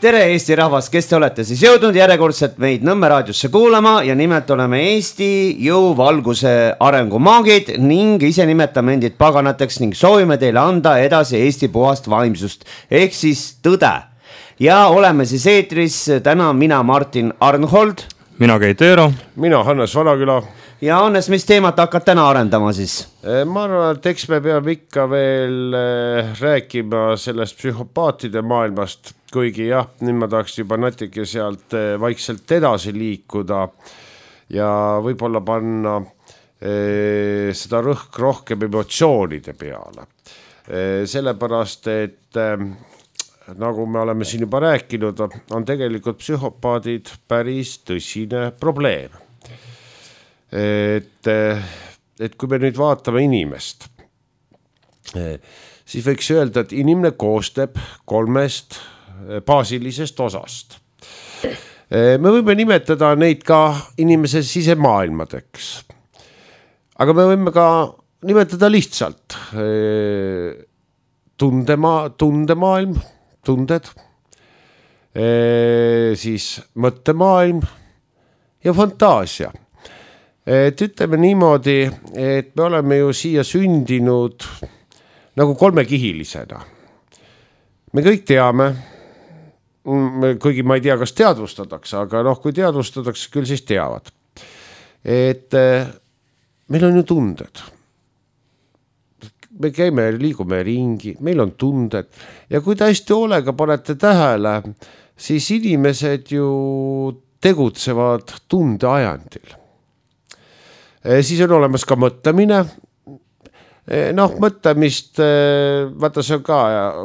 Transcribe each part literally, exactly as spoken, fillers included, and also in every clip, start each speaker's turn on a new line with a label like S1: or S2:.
S1: tere Eesti rahvas, kes te olete siis jõudnud järjekordselt meid Nõmme raadiosse kuulama ja nimelt oleme Eesti jõuvalguse arengumaagid ning ise nimetame endid paganateks ning soovime teile anda edasi Eesti puhast vaimsust ehk siis tõde. Ja oleme siis eetris täna mina Martin Arnhold,
S2: mina Keit Eero,
S3: mina Hannes Vanaküla.
S1: Ja Hannes, mis teemat hakkad täna arendama siis?
S3: Ma arvan, et eks me peame ikka veel rääkima sellest psühhopaatide maailmast, kuigi jah, nüüd ma tahaks juba natuke sealt vaikselt edasi liikuda ja võib-olla panna eh, seda rõhk rohkem emotsioonide peale. Eh, sellepärast, et eh, nagu me oleme siin juba rääkinud, on tegelikult psühhopaadid päris tõsine probleem. Et, et kui me nüüd vaatame inimest, siis võiks öelda, et inimene koostab kolmest baasilisest osast. Me võime nimetada neid ka inimese sisemaailmadeks, aga me võime ka nimetada lihtsalt tundema, tundemaailm, tunded, siis mõttemaailm ja fantaasia. Et ütleme niimoodi, et me oleme ju siia sündinud nagu kolmekihilisena. Me kõik teame, kuigi ma ei tea, kas teadvustatakse, aga noh, kui teadvustatakse, küll siis teavad. Et meil on ju tunded. Me käime, liigume ringi, meil on tunded. Ja kui te hästi hoolega panete tähele, siis inimesed ju tegutsevad tundeajandil. Siis on olemas ka mõtlemine. Noh, mõtlemist, vaata see on ka,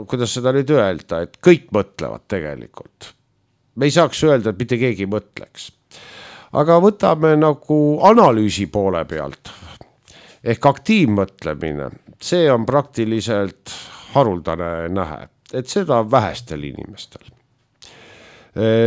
S3: kuidas seda nüüd öelda, et kõik mõtlevad tegelikult. Me ei saaks öelda, et mitte keegi mõtleks. Aga võtame nagu analüüsi poole pealt. Ehk aktiivmõtlemine. See on praktiliselt haruldane nähe. Et seda on vähestel inimestel.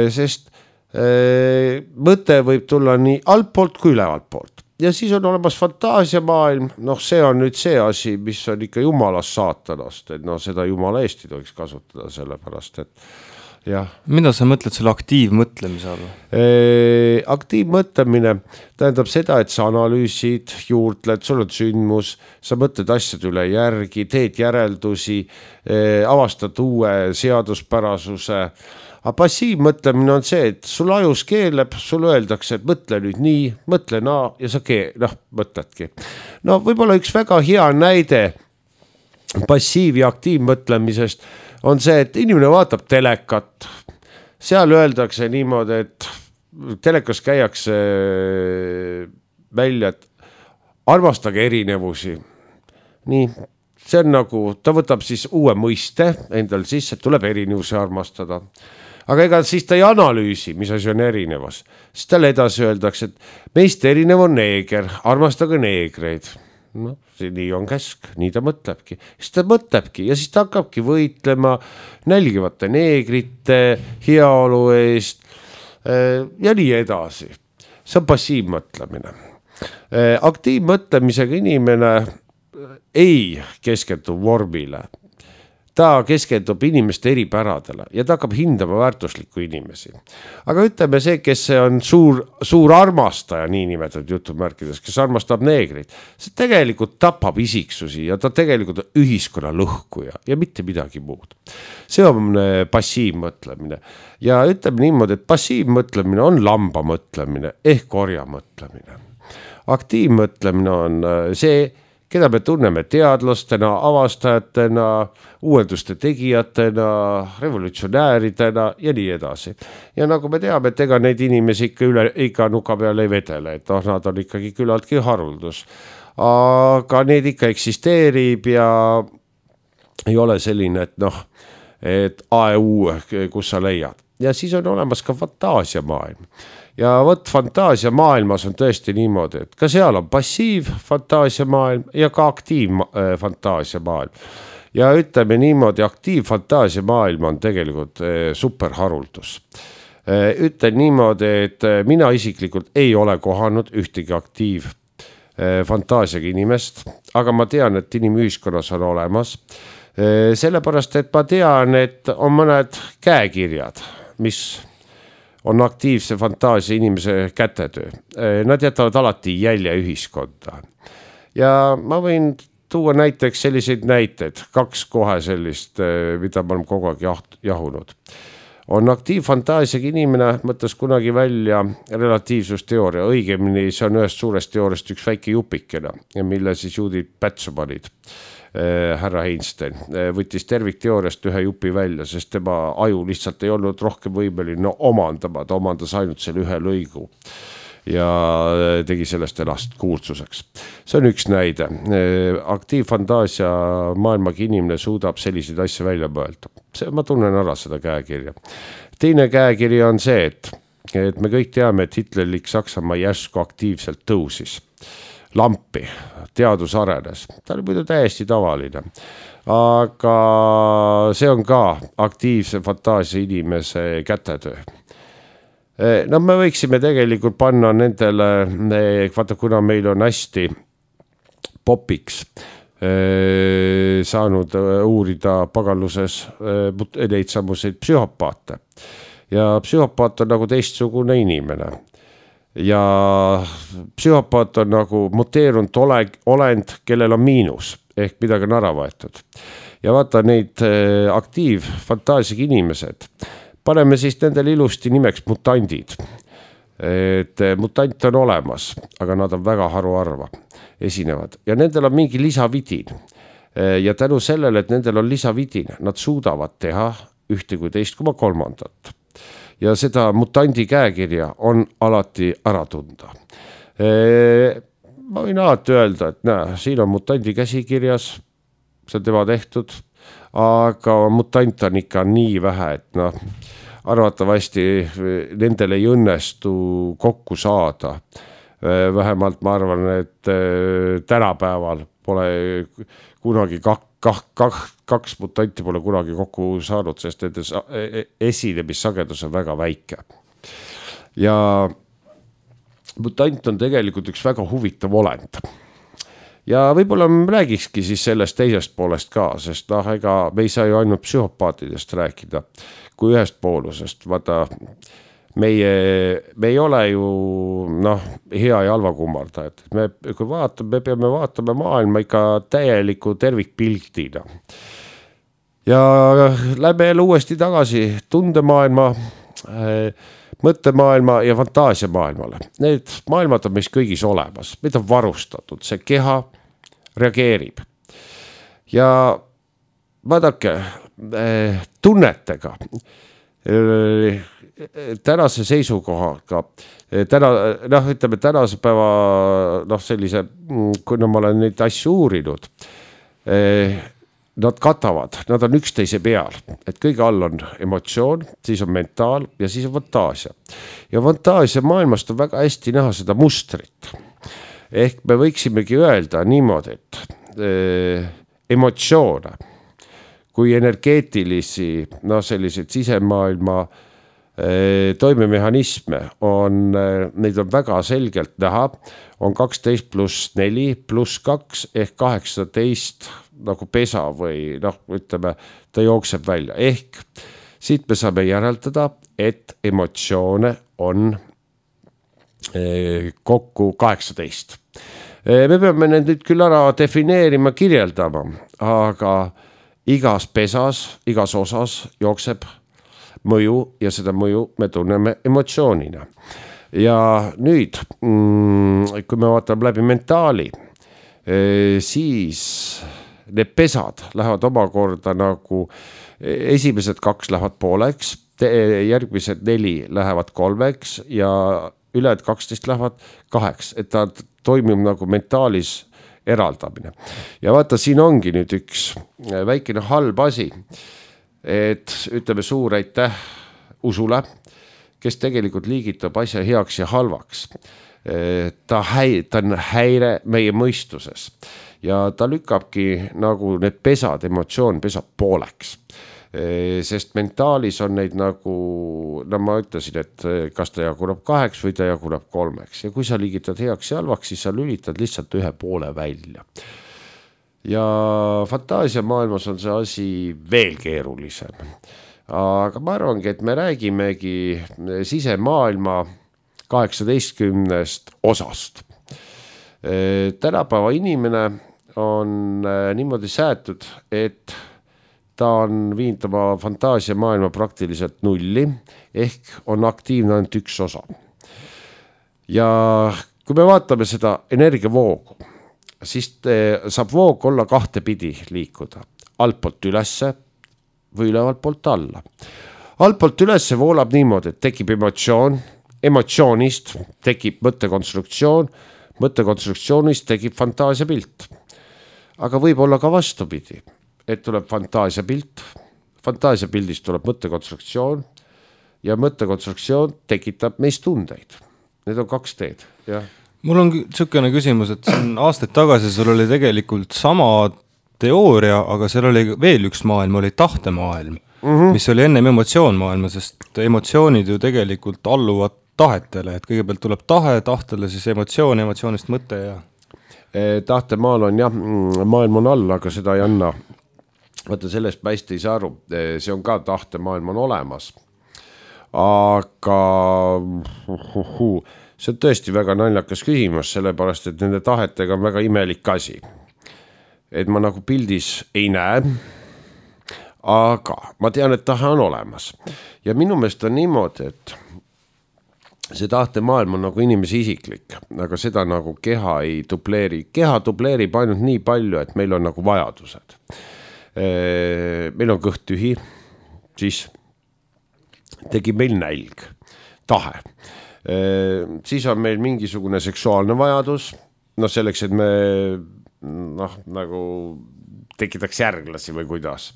S3: Sest mõte võib tulla nii altpoolt kui ülevalt poolt. Ja siis on olemas fantaasiamaailm, noh see on nüüd see asi, mis on ikka jumalast saatanast, et no seda jumala eest ei tohiks kasutada sellepärast, et jah.
S2: Mida sa mõtled selle aktiivmõtlemise alla?
S3: E, aktiivmõtlemine tähendab seda, et sa analüüsid, juurtled, sul on sündmus, sa mõtled asjad üle järgi, teed järeldusi, e, avastad uue seaduspärasuse. Aga passiivmõtlemine on see, et sul ajus keeleb, sul öeldakse, et mõtle nüüd nii, mõtle naa ja sa keel, noh, mõtledki. No võib-olla üks väga hea näide passiiv- ja aktiivmõtlemisest on see, et inimene vaatab telekat. Seal öeldakse niimoodi, et telekas käiakse välja, et armastage erinevusi. Nii, see on nagu, ta võtab siis uue mõiste endal sisse, et tuleb erinevusi armastada. Aga ega siis ta ei analüüsi, mis asi on erinevus. Siis tal edasi öeldakse, et meist erinev on neeger, armastage neegreid. No, see nii on käsk, nii ta mõtlebki. Siis ta mõtlebki ja siis ta hakkabki võitlema nälgivate neegrite, heaolu eest ja nii edasi. See on passiivmõtlemine. Aktiivmõtlemisega inimene ei keskendu vormile. Ta keskendub inimeste eripäradele ja ta hakkab hindama väärtuslikku inimesi. Aga ütleme see, kes on suur, suur armastaja, nii nimetatud jutumärkides, kes armastab neegrid, see tegelikult tapab isiksusi ja ta tegelikult on ühiskonna lõhkuja ja mitte midagi muud. See on passiivmõtlemine. Ja ütleme niimoodi, et passiivmõtlemine on lamba mõtlemine ehk korja mõtlemine. Aktiivmõtlemine on see, keda me tunneme teadlastena, avastajatena, uuenduste tegijatena, revolutsionääridena ja nii edasi. Ja nagu me teame, et ega neid inimesi ikka, üle, ikka nuka peal ei vedele, et noh, nad on ikkagi küllaltki haruldus. Aga need ikka eksisteerib ja ei ole selline, et noh, et A E U, kus sa leiad. Ja siis on olemas ka fantaasiamaailm. Ja võt fantaasia maailmas on tõesti niimoodi, et ka seal on passiiv fantaasia maailm ja ka aktiiv fantaasia maailm. Ja ütleme niimoodi, aktiiv fantaasia maailm on tegelikult superharuldus. Ütlen niimoodi, et mina isiklikult ei ole kohanud ühtegi aktiiv fantaasiaga inimest, aga ma tean, et inimühiskonnas on olemas. Sellepärast, et ma tean, et on mõned käekirjad, mis on aktiivse fantaasia inimese kätetöö. Nad jätavad alati jälje ühiskonda. Ja ma võin tuua näiteks selliseid näiteid, kaks kohe sellist, mida ma olen kogu aeg jahunud. On aktiivfantaasiaga inimene mõtles kunagi välja relatiivsusteooria, õigemini see on ühest suurest teooriast üks väike jupikene, mille siis juudid pätsu panid. Härra Einstein võttis tervikteooriast ühe jupi välja, sest tema aju lihtsalt ei olnud rohkem võimeline omandama, ta omandas ainult selle ühe lõigu ja tegi sellest ennast kuulsuseks. See on üks näide. Aktiivfantaasia maailmaga inimene suudab selliseid asju välja mõelda. See, ma tunnen ära seda käekirja. Teine käekiri on see, et, et me kõik teame, et Hitlerlik Saksamaa järsku aktiivselt tõusis. Lampi, teadus arenes. Ta oli muidu täiesti tavaline. Aga see on ka aktiivse fantaasia inimese kätetöö. No me võiksime tegelikult panna nendele, vaata kuna meil on hästi popiks saanud uurida pagalluses neid samuseid psühhopaate. Ja psühhopaat on nagu teistsugune inimene. Ja psühhopaat on nagu muteerunud olend, kellel on miinus, ehk midagi on ära võetud. Ja vaata neid aktiivfantaasiaga inimesed, paneme siis nendel ilusti nimeks mutandid. Et mutant on olemas, aga nad on väga haruarva, esinevad. Ja nendel on mingi lisavidin. Ja tänu sellele, et nendel on lisavidin, nad suudavad teha ühte kui teist koma kolmandat. Ja seda mutandi käekirja on alati ära tunda. Ma võin alati öelda, et näe, siin on mutandi käsikirjas, see on tema tehtud, aga mutant on ikka nii vähe, et noh, arvatavasti nendel ei õnnestu kokku saada. Vähemalt ma arvan, et tänapäeval pole kunagi kak, kak, kak, kaks mutanti pole kunagi kokku saanud, sest nende esinemissagedus on väga väike. Ja mutant on tegelikult üks väga huvitav olend. Ja võib-olla me räägikski siis sellest teisest poolest ka, sest noh, ega me ei saa ju ainult psühhopaatidest rääkida kui ühest poolusest. Vaata, meie, me ei ole ju noh, hea ja halva kummardajad. Me, kui vaatame, me peame vaatama maailma ikka täieliku tervikpiltina. Ja lähme jälle uuesti tagasi tundemaailma, mõttemaailma ja fantaasiamaailmale. Need maailmad on meis kõigis olemas, meid on varustatud, see keha reageerib. Ja vaadake, tunnetega, tänase seisukohaga, täna, noh, ütleme tänase päeva, noh, sellise, kuna ma olen neid asju uurinud, nad katavad, nad on üksteise peal, et kõige all on emotsioon, siis on mentaal ja siis on fantaasia. Ja fantaasia maailmast on väga hästi näha seda mustrit. Ehk me võiksimegi öelda niimoodi, et eh, emotsioone kui energeetilisi, no sellised sisemaailma eh, toimemehhanisme on, eh, neid on väga selgelt näha, on kaksteist pluss neli pluss kaks ehk kaheksateist nagu pesa või noh, ütleme, ta jookseb välja. Ehk siit me saame järeldada, et emotsioone on eh, kokku kaheksateist. Eh, me peame need nüüd küll ära defineerima, kirjeldama, aga igas pesas, igas osas jookseb mõju ja seda mõju me tunneme emotsioonina. Ja nüüd, mm, kui me vaatame läbi mentaali, eh, siis need pesad lähevad omakorda nagu esimesed kaks lähevad pooleks, järgmised neli lähevad kolmeks ja ülejäänud kaksteist lähevad kaheks, et ta toimib nagu mentaalis eraldamine. Ja vaata, siin ongi nüüd üks väikene halb asi, et ütleme suur aitäh usule, kes tegelikult liigitab asja heaks ja halvaks. Ta, häi, ta on häire meie mõistuses. Ja ta lükkabki nagu need pesad, emotsioon pesab pooleks. Sest mentaalis on neid nagu, no ma ütlesin, et kas ta jaguneb kaheks või ta jaguneb kolmeks. Ja kui sa liigitad heaks ja halvaks, siis sa lülitad lihtsalt ühe poole välja. Ja fantaasia maailmas on see asi veel keerulisem. aga ma arvangi, et me räägimegi sisemaailma kaheksateistkümnest osast. Tänapäeva inimene on niimoodi säätud, et ta on viinud oma fantaasia maailma praktiliselt nulli, ehk on aktiivne ainult üks osa. Ja kui me vaatame seda energiavoogu, siis saab voog olla kahte pidi liikuda, altpoolt ülesse või ülevalt poolt alla. Altpoolt ülesse voolab niimoodi, et tekib emotsioon, emotsioonist tekib mõttekonstruktsioon, mõttekonstruktsioonist tekib fantaasiapilt. Aga võib olla ka vastupidi, et tuleb fantaasiapilt, fantaasiapildist tuleb mõttekonstruktsioon ja mõttekonstruktsioon tekitab meist tundeid. Need on kaks teed, jah.
S2: Mul on tsükene küsimus, et siin aastaid tagasi sul oli tegelikult sama teooria, aga seal oli veel üks maailm, oli tahtemaailm, mm-hmm. mis oli ennem emotsioonmaailma, sest emotsioonid ju tegelikult alluvad tahetele, et kõigepealt tuleb tahe, tahtele siis emotsioon, emotsioonist mõte ja...
S3: Tahtemaal on jah, maailm on all, aga seda ei anna. Vaata, sellest ma hästi ei saa aru, see on ka tahtemaailm on olemas. Aga see on tõesti väga naljakas küsimus, sellepärast, et nende tahetega on väga imelik asi. Et ma nagu pildis ei näe, aga ma tean, et tahe on olemas. Ja minu meelest on niimoodi, et see tahtemaailm on nagu inimese isiklik, aga seda nagu keha ei dubleeri. Keha dubleerib ainult nii palju, et meil on nagu vajadused. Meil on kõht tühi, siis tekib meil nälg, tahe. Siis on meil mingisugune seksuaalne vajadus, no selleks, et me noh, nagu tekitaks järglasi või kuidas.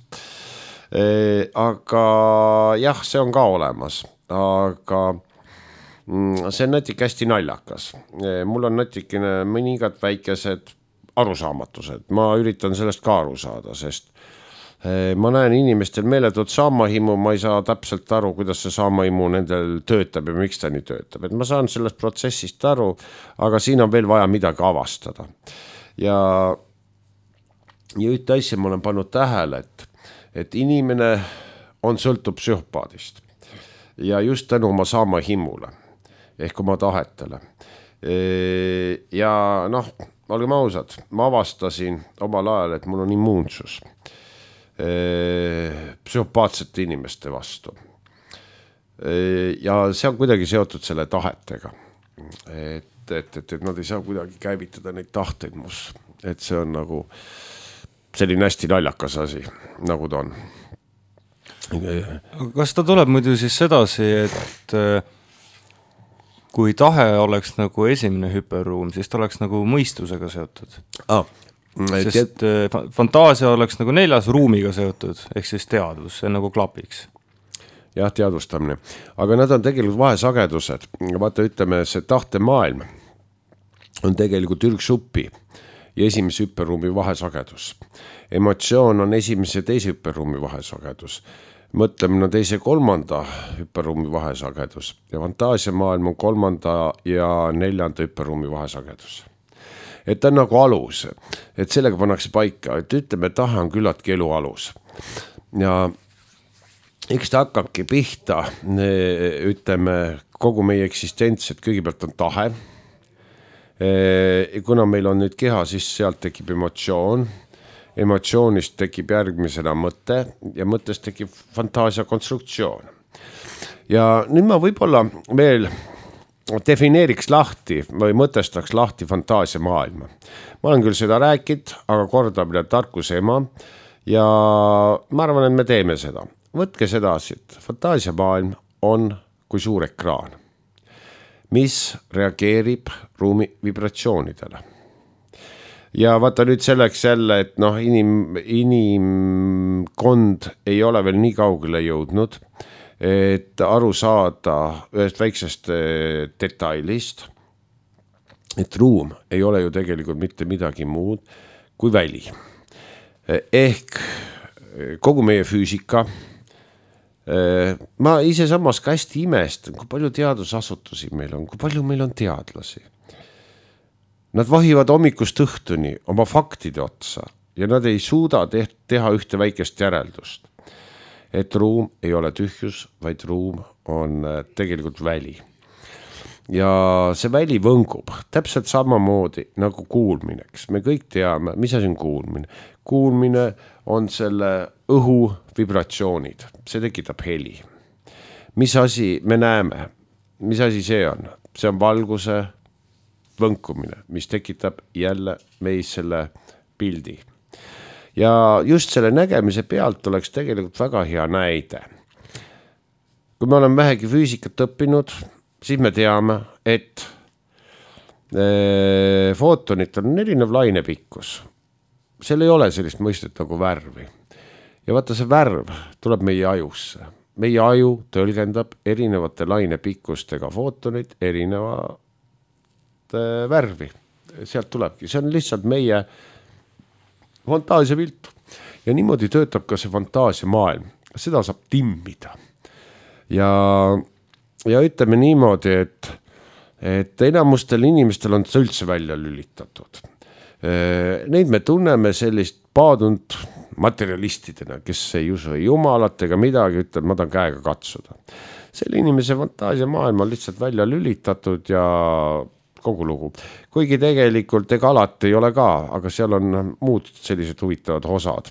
S3: Aga jah, see on ka olemas, aga see on natuke hästi naljakas. Mul on natukene mõningad väikesed arusaamatused. Ma üritan sellest ka aru saada, sest ma näen inimestel meeletut saamahimu, ma ei saa täpselt aru, kuidas see saamahimu nendel töötab ja miks ta nii töötab. Et ma saan sellest protsessist aru, aga siin on veel vaja midagi avastada. Ja, ja ühte asja ma olen pannud tähele, et, et inimene on sõltub psühhopaadist ja just tänu oma saamahimule ehk oma tahetele. Ja noh, olgem ausad, ma avastasin omal ajal, et mul on immuunsus psühhopaatsete inimeste vastu. Ja see on kuidagi seotud selle tahetega. Et, et, et, et nad ei saa kuidagi käivitada neid tahteid mus. Et see on nagu selline hästi naljakas asi, nagu ta on.
S2: Kas ta tuleb muidu siis sedasi, et kui tahe oleks nagu esimene hüperruum, siis ta oleks nagu mõistusega seotud.
S3: Ah,
S2: sest tead... fantaasia oleks nagu neljas ruumiga seotud, ehk siis teadvus, see nagu klapiks.
S3: Jah, teadvustamine. Aga nad on tegelikult vahesagedused. Vaata, ütleme, see tahtemaailm on tegelikult ürgsuppi ja esimese hüperruumi vahesagedus. Emotsioon on esimese ja teise hüperruumi vahesagedus. Mõtlemine on teise kolmanda hüperruumi vahesagedus ja fantaasiamaailm on kolmanda ja neljanda hüperruumi vahesagedus. Et ta on nagu alus, et sellega pannakse paika, et ütleme, tahe on küllaltki elu alus. Ja eks ta hakkabki pihta, ütleme, kogu meie eksistents, et kõigepealt on tahe. Kuna meil on nüüd keha, siis sealt tekib emotsioon. Emotsioonist tekib järgmisena mõte ja mõttest tekib fantaasia konstruktsioon. Ja nüüd ma võib-olla veel defineeriks lahti või mõtestaks lahti fantaasia maailma. Ma olen küll seda rääkinud, aga kordamine tarkuse ema ja ma arvan, et me teeme seda. Võtke sedasi, et fantaasia maailm on kui suur ekraan, mis reageerib ruumi vibratsioonidele. Ja vaata nüüd selleks jälle, et noh, inim, inimkond ei ole veel nii kaugele jõudnud, et aru saada ühest väiksest detailist, et ruum ei ole ju tegelikult mitte midagi muud kui väli. Ehk kogu meie füüsika, ma ise samas ka hästi imestan, kui palju teadusasutusi meil on, kui palju meil on teadlasi. Nad vahivad hommikust õhtuni oma faktide otsa ja nad ei suuda teha ühte väikest järeldust. et ruum ei ole tühjus, vaid ruum on tegelikult väli. Ja see väli võngub täpselt samamoodi nagu kuulmineks. Me kõik teame, mis asi on kuulmine. Kuulmine on selle õhu vibratsioonid, see tekitab heli. Mis asi me näeme, mis asi see on? See on valguse võnkumine, mis tekitab jälle meis selle pildi. Ja just selle nägemise pealt oleks tegelikult väga hea näide. Kui me oleme vähegi füüsikat õppinud, siis me teame, et e, footonit on erinev lainepikkus. Seal ei ole sellist mõistet nagu värvi. Ja vaata see värv tuleb meie ajusse. Meie aju tõlgendab erinevate lainepikkustega footonit erinevate värvi. Sealt tulebki. See on lihtsalt meie fantaasia pilt. Ja niimoodi töötab ka see fantaasia maailm. Seda saab timmida. Ja, ja ütleme niimoodi, et, et enamustel inimestel on see üldse välja lülitatud. Neid me tunneme sellist paadunud materialistidena, kes ei usu ei jumalat ega midagi, ütleb, ma tahan käega katsuda. Selle inimese fantaasia maailm on lihtsalt välja lülitatud ja kogu lugu. Kuigi tegelikult ega alati ei ole ka, aga seal on muud sellised huvitavad osad.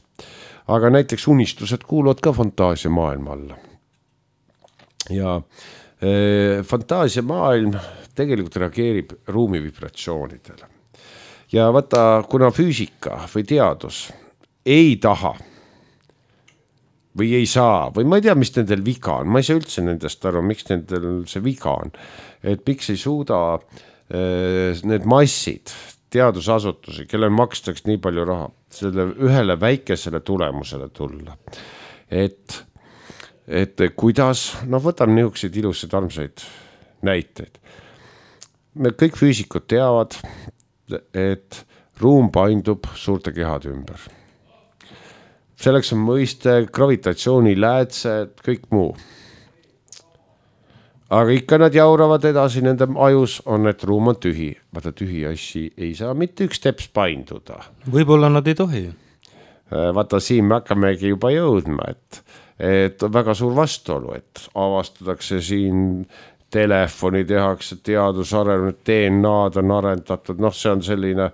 S3: Aga näiteks unistused kuuluvad ka fantaasia maailma alla. Ja e, fantaasia maailm tegelikult reageerib ruumi vibratsioonidele. Ja vaata, kuna füüsika või teadus ei taha või ei saa, või ma ei tea, mis nendel viga on, ma ei saa üldse nendest aru, miks nendel see viga on, et miks ei suuda e, need massid, teadusasutusi, kellel makstaks nii palju raha, selle ühele väikesele tulemusele tulla. Et et kuidas, no võtan niisuguseid ilusaid armsaid näiteid. Me kõik füüsikud teavad, et ruum paindub suurte kehade ümber. Selleks on mõiste, gravitatsiooni läätsed, kõik muu. Aga ikka nad jauravad edasi, nende ajus on, et ruum on tühi. Vaata, tühi assi ei saa mitte üks teps painduda.
S2: Võib-olla nad ei tohi.
S3: Vaata, siin me hakkamegi juba jõudma, et et on väga suur vastuolu, et avastatakse siin telefoni, tehakse teadusarenenud, D N A-d on arendatud, noh, see on selline,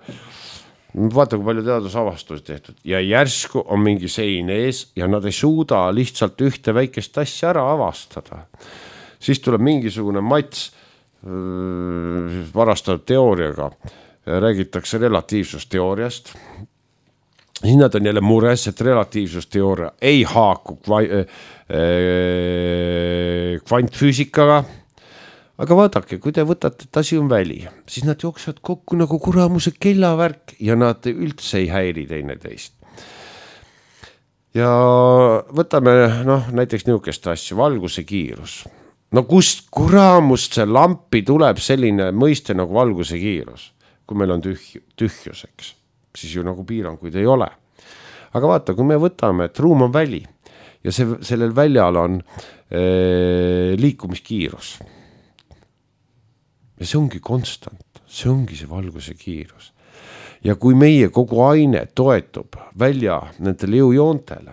S3: vaata, kui palju teadusavastusi tehtud ja järsku on mingi sein ees ja nad ei suuda lihtsalt ühte väikest asja ära avastada. Siis tuleb mingisugune mats varastatud teooriaga, räägitakse relatiivsusteooriast. Siis nad on jälle mures, et relatiivsusteooria ei haaku kvantfüüsikaga. Aga vaadake, kui te võtate, et asi on väli, siis nad jooksevad kokku nagu kuramuse kellavärk ja nad üldse ei häiri teine teist. Ja võtame noh, näiteks niisugust asju, valguse kiirus. No kust kuramust see lampi tuleb selline mõiste nagu valguse kiirus, kui meil on tühj, tühjuseks. Siis ju nagu piiranguid ei ole. Aga vaata, kui me võtame, et ruum on väli ja see, sellel väljal on ee, liikumiskiirus. Ja see ongi konstant, see ongi see valguse kiirus. Ja kui meie kogu aine toetub välja nendele jõujoontele,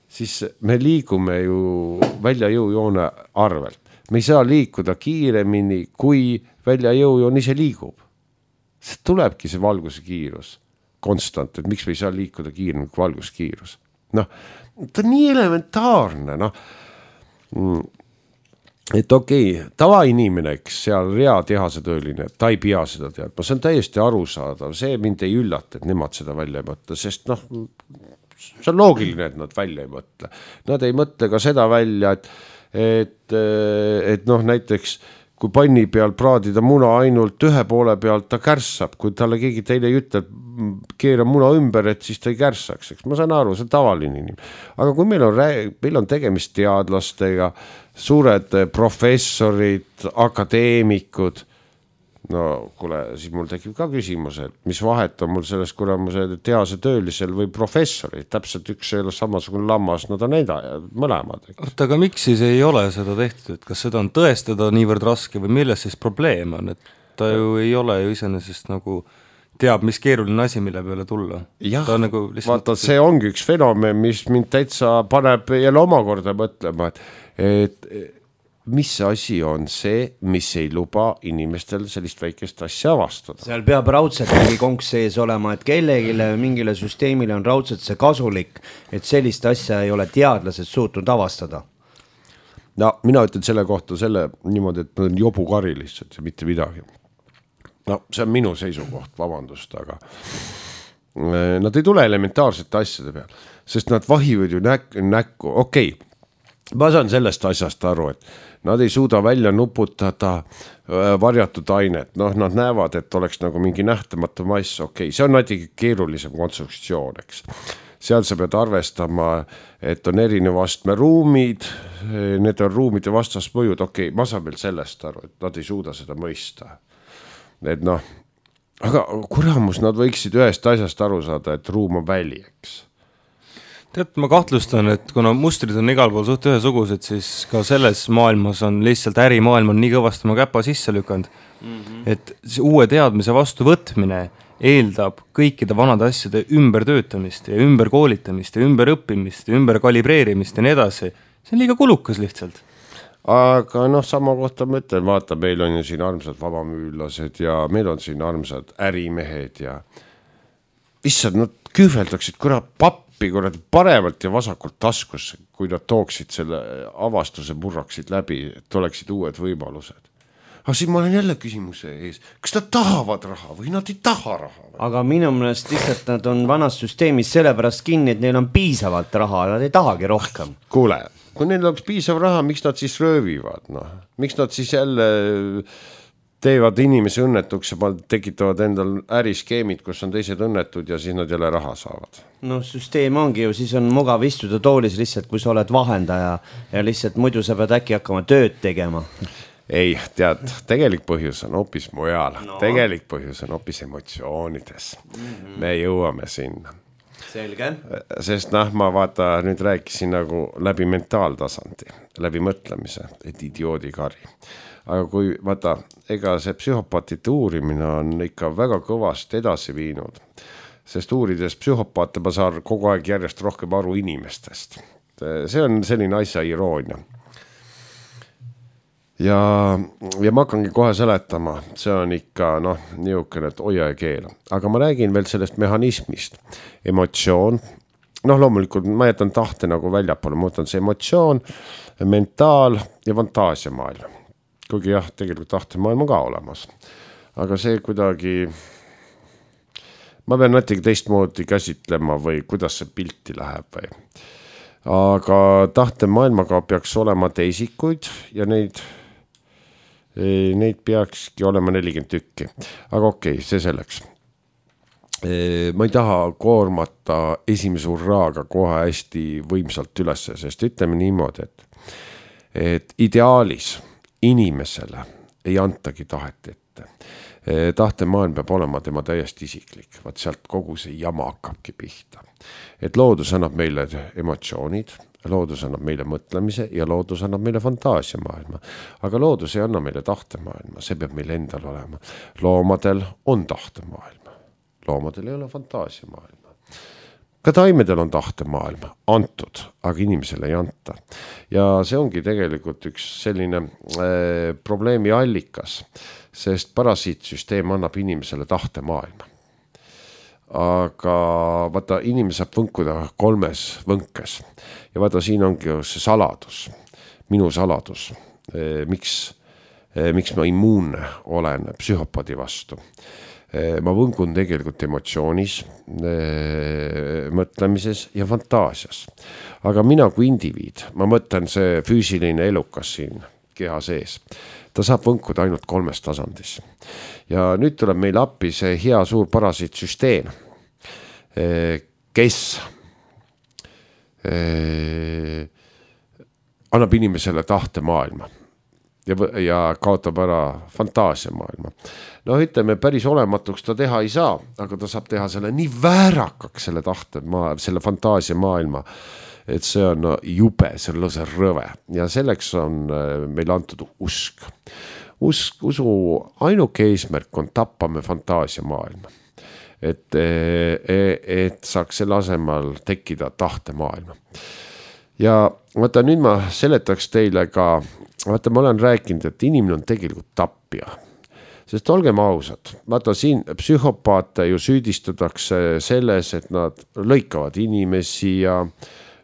S3: siis me liigume ju välja jõujoone arvelt. Me ei saa liikuda kiiremini, kui välja jõujoon ise liigub. See tulebki see valguse kiirus konstant, et miks me ei saa liikuda kiiremini kui valguskiirus. Noh, ta on nii elementaarne, noh. Et okei, okay, tavainimene, eks seal rea tehase tööline, ta ei pea seda teadma, see on täiesti arusaadav, see mind ei üllata, et nemad seda välja ei mõtle, sest noh, see on loogiline, et nad välja ei mõtle. Nad ei mõtle ka seda välja, et, et, et noh, näiteks kui panni peal praadida muna ainult ühe poole pealt, ta kärssab, kui talle keegi teile ei ütle, keera muna ümber, et siis ta ei kärssaks. Eks ma saan aru, see on tavaline inimene. Aga kui meil on, meil on tegemist teadlastega, suured professorid, akadeemikud, no kuule, siis mul tekib ka küsimus, et mis vahet on mul selles kuramuse tehase töölisel või professori, täpselt üks ei ole samasugune lammas, nad on eda, mõlemad.
S2: Oota, aga miks siis ei ole seda tehtud, et kas seda on tõestada niivõrd raske või milles siis probleem on, et ta ju ei ole ju iseenesest nagu teab, mis keeruline asi, mille peale tulla.
S3: jah,
S2: nagu lihtsalt...
S3: vaata, see ongi üks fenomen, mis mind täitsa paneb jälle omakorda mõtlema, et, et mis asi on see, mis ei luba inimestel sellist väikest asja avastada.
S1: Seal peab raudselt mingi konks sees olema, et kellegile mingile süsteemile on raudselt see kasulik, et sellist asja ei ole teadlased suutnud avastada.
S3: No mina ütlen selle kohta selle niimoodi, et nad on jobukari lihtsalt ja mitte midagi. No see on minu seisukoht, vabandust, aga nad ei tule elementaarsete asjade peal, sest nad vahivad ju näk- näkku, okei, okay. Ma saan sellest asjast aru, et nad ei suuda välja nuputada varjatud ainet, noh nad näevad, et oleks nagu mingi nähtamatu mass, okei okay., see on natuke keerulisem konstruktsioon, eks. Seal sa pead arvestama, et on erineva astme ruumid, need on ruumide vastasmõjud, okei okay,, ma saan veel sellest aru, et nad ei suuda seda mõista. Et noh, aga kuramus, nad võiksid ühest asjast aru saada, et ruum on väli, eks.
S2: Tead, ma kahtlustan, et kuna mustrid on igal pool suht ühesugused, siis ka selles maailmas on lihtsalt ärimaailm on nii kõvasti oma käpa sisse lükanud, mm-hmm. et uue teadmise vastu võtmine eeldab kõikide vanade asjade ümbertöötamist ja ümberkoolitamist ja ümberõppimist ja ümberkalibreerimist ja nii edasi. See on liiga kulukas lihtsalt.
S3: Aga noh, sama kohta ma ütlen, vaata, meil on ju siin armsad vabamüülased ja meil on siin armsad ärimehed ja issand, nad kühveldaksid kurat pappi kurat paremalt ja vasakult taskusse, kui nad tooksid selle avastuse purraksid läbi, et oleksid uued võimalused. Aga siin ma olen jälle küsimuse ees, kas nad tahavad raha või nad ei taha raha? Või?
S1: Aga minu mõnest lihtsalt nad on vanas süsteemis sellepärast kinni, et neil on piisavalt raha, nad ei tahagi rohkem.
S3: Kuule, kui neil oleks piisav raha, miks nad siis röövivad? No? Miks nad siis jälle teevad inimesi õnnetuks ja tekitavad endal äriskeemid, kus on teised õnnetud ja siis nad jälle raha saavad?
S1: No süsteem ongi ju, siis on mugav istuda toolis lihtsalt, kui sa oled vahendaja ja lihtsalt muidu sa pead äkki hakkama tööd tegema.
S3: Ei, tead, tegelik põhjus on hoopis mujal. No. Tegelik põhjus on hoopis emotsioonides. Mm-hmm. Me jõuame sinna.
S1: Selge.
S3: Sest noh, ma vaata, nüüd rääkisin nagu läbi mentaaltasandi, läbi mõtlemise, et idioodikari. Aga kui vaata, ega see psühhopaatide uurimine on ikka väga kõvast edasi viinud, sest uurides psühhopaate ma saan kogu aeg järjest rohkem aru inimestest. See on selline asja iroonia. Ja, ja ma hakkangi kohe seletama, see on ikka noh, niisugune, et hoia ja keela. Aga ma räägin veel sellest mehhanismist. Emotsioon, noh loomulikult ma jätan tahte nagu väljapoole, ma võtan see emotsioon, mentaal ja fantaasiamaailm. Kuigi jah, tegelikult tahtemaailm on ka olemas. Aga see kuidagi, ma pean natuke teistmoodi käsitlema või kuidas see pilti läheb või. Aga tahtemaailmaga peaks olema teisikuid ja neid neid peakski olema nelikümmend tükki. Aga okei, see selleks. Ma ei taha koormata esimese urraaga kohe hästi võimsalt ülesse, sest ütleme niimoodi, et, et ideaalis inimesele ei antagi tahet ette. Tahtemaailm peab olema tema täiesti isiklik, vaat sealt kogu see jama hakkabki pihta. Et loodus annab meile emotsioonid, loodus annab meile mõtlemise ja loodus annab meile fantaasiamaailma. Aga loodus ei anna meile tahtemaailma, see peab meil endal olema. Loomadel on tahtemaailma, loomadel ei ole fantaasiamaailma. Ka taimedel on tahtemaailma antud, aga inimesele ei anta. Ja see ongi tegelikult üks selline äh, probleemi allikas, sest parasiitsüsteem annab inimesele tahtemaailma. Aga vaata, inimene saab võnkuda kolmes võnkes ja vaata, siin ongi see saladus, minu saladus, miks, miks ma immuunne olen psühhopaadi vastu. Ma võnkun tegelikult emotsioonis, mõtlemises ja fantaasias. Aga mina kui indiviid, ma mõtlen see füüsiline elukas siin keha sees, ta saab võnkuda ainult kolmes tasandis. Ja nüüd tuleb meil appi see hea suur parasiitsüsteem, kes annab inimesele tahtemaailma ja, ja kaotab ära fantaasiamaailma. No ütleme, päris olematuks ta teha ei saa, aga ta saab teha selle nii väärakaks selle tahtemaailma, selle fantaasiamaailma, et see on jube, see on lõse rõve ja selleks on meil antud usk. Usk, usu ainuke eesmärk on tappame fantaasiamaailma. et, et saaks selle asemel tekkida tahtemaailma. Ja vaata, nüüd ma seletaks teile ka, vaata, ma olen rääkinud, et inimene on tegelikult tappja. Sest olgem ausad, vaata siin psühhopaate ju süüdistatakse selles, et nad lõikavad inimesi ja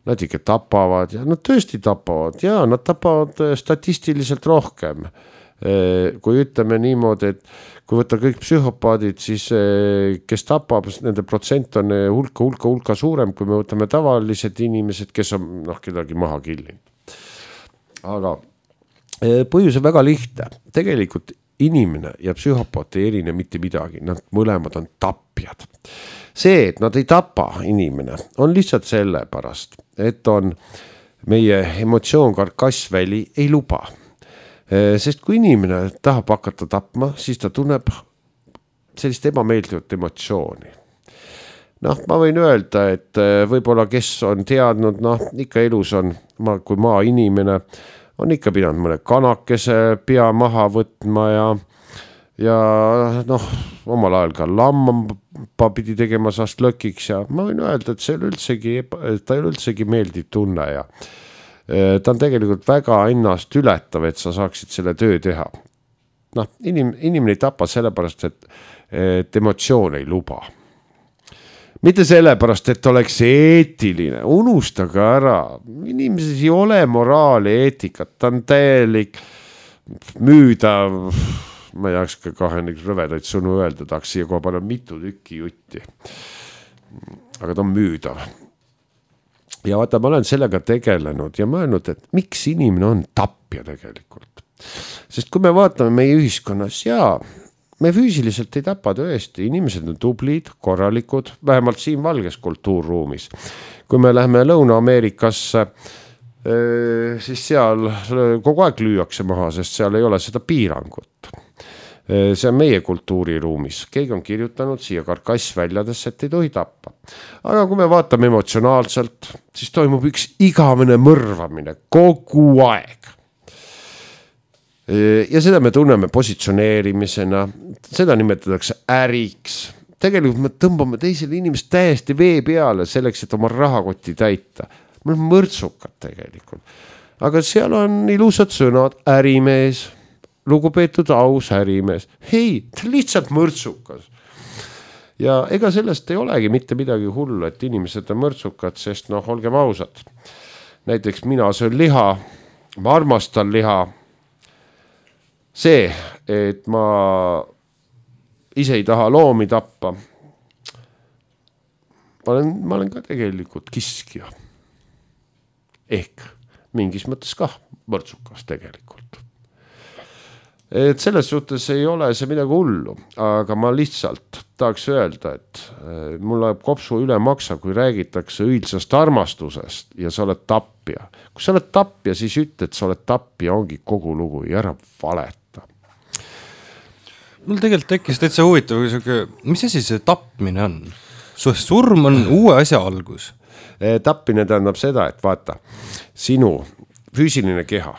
S3: nad ikka tapavad ja nad tõesti tapavad ja nad tapavad statistiliselt rohkem. Kui ütleme niimoodi, et kui võtta kõik psühhopaadid, siis kes tapab, nende protsent on hulka, hulka, hulka suurem, kui me võtame tavalised inimesed, kes on noh, kedagi maha killinud. Aga põhjus on väga lihtne. Tegelikult inimene ja psühhopaat ei erine mitte midagi, nad mõlemad on tapjad. See, et nad ei tapa inimene, on lihtsalt selle pärast, et on meie emotsioon karkassväli ei luba. Sest kui inimene tahab hakata tapma, siis ta tunneb sellist ebameeldivat emotsiooni. Noh, ma võin öelda, et võib-olla kes on teadnud, noh, ikka elus on, kui maa inimene, on ikka pidanud mõne kanakese pea maha võtma ja, ja noh, omal ajal ka lamma pidi tegema saast lõkiks ja ma võin öelda, et see ei üldsegi, ta ei üldsegi meeldiv tunne ja ta on tegelikult väga ennast ületav, et sa saaksid selle töö teha. Noh, inim, inimene ei tapa sellepärast, et, et emotsioon ei luba. Mitte sellepärast, et oleks eetiline, unustage ära, inimeses ei ole moraali, eetikat, ta on täielik müüda, ma ei jakska kahe rõvedaid sõnu öelda, tahaks siia koha palju mitu tükki jutti, aga ta on müüdav. Ja vaata, ma olen sellega tegelenud ja mõelnud, et miks inimene on tapja tegelikult. Sest kui me vaatame meie ühiskonnas, jaa, me füüsiliselt ei tapa tõesti, inimesed on tublid, korralikud, vähemalt siin valges kultuurruumis. Kui me läheme Lõuna-Ameerikasse, siis seal kogu aeg lüüakse maha, sest seal ei ole seda piirangut. See on meie kultuuriruumis. Keegi on kirjutanud siia karkassväljadesse, et ei tohi tappa. Aga kui me vaatame emotsionaalselt, siis toimub üks igavene mõrvamine kogu aeg. Ja seda me tunneme positsioneerimisena, seda nimetatakse äriks. Tegelikult me tõmbame teisele inimest täiesti vee peale selleks, et oma rahakoti täita. Me oleme mõrtsukad tegelikult. Aga seal on ilusad sõnad, ärimees, lugupeetud aus ärimees. Hei, ta lihtsalt mõrtsukas. Ja ega sellest ei olegi mitte midagi hullu, et inimesed on mõrtsukad, sest noh, olgem ausad. Näiteks mina söön liha, ma armastan liha. See, et ma ise ei taha loomi tappa, ma olen, ma olen ka tegelikult kiskja. Ehk mingis mõttes kah mõrtsukas tegelikult. Et selles suhtes ei ole see midagi hullu, aga ma lihtsalt tahaks öelda, et mul läheb kopsu üle maksa, kui räägitakse õilsast armastusest ja sa oled tappja. Kui sa oled tappja, siis ütle, et sa oled tappja, ongi kogu lugu ja ära valeta.
S2: Mul tegelikult tekkis täitsa huvitav, mis asi see tapmine on? Surm on uue asja algus.
S3: Tappmine tähendab seda, et vaata, sinu füüsiline keha,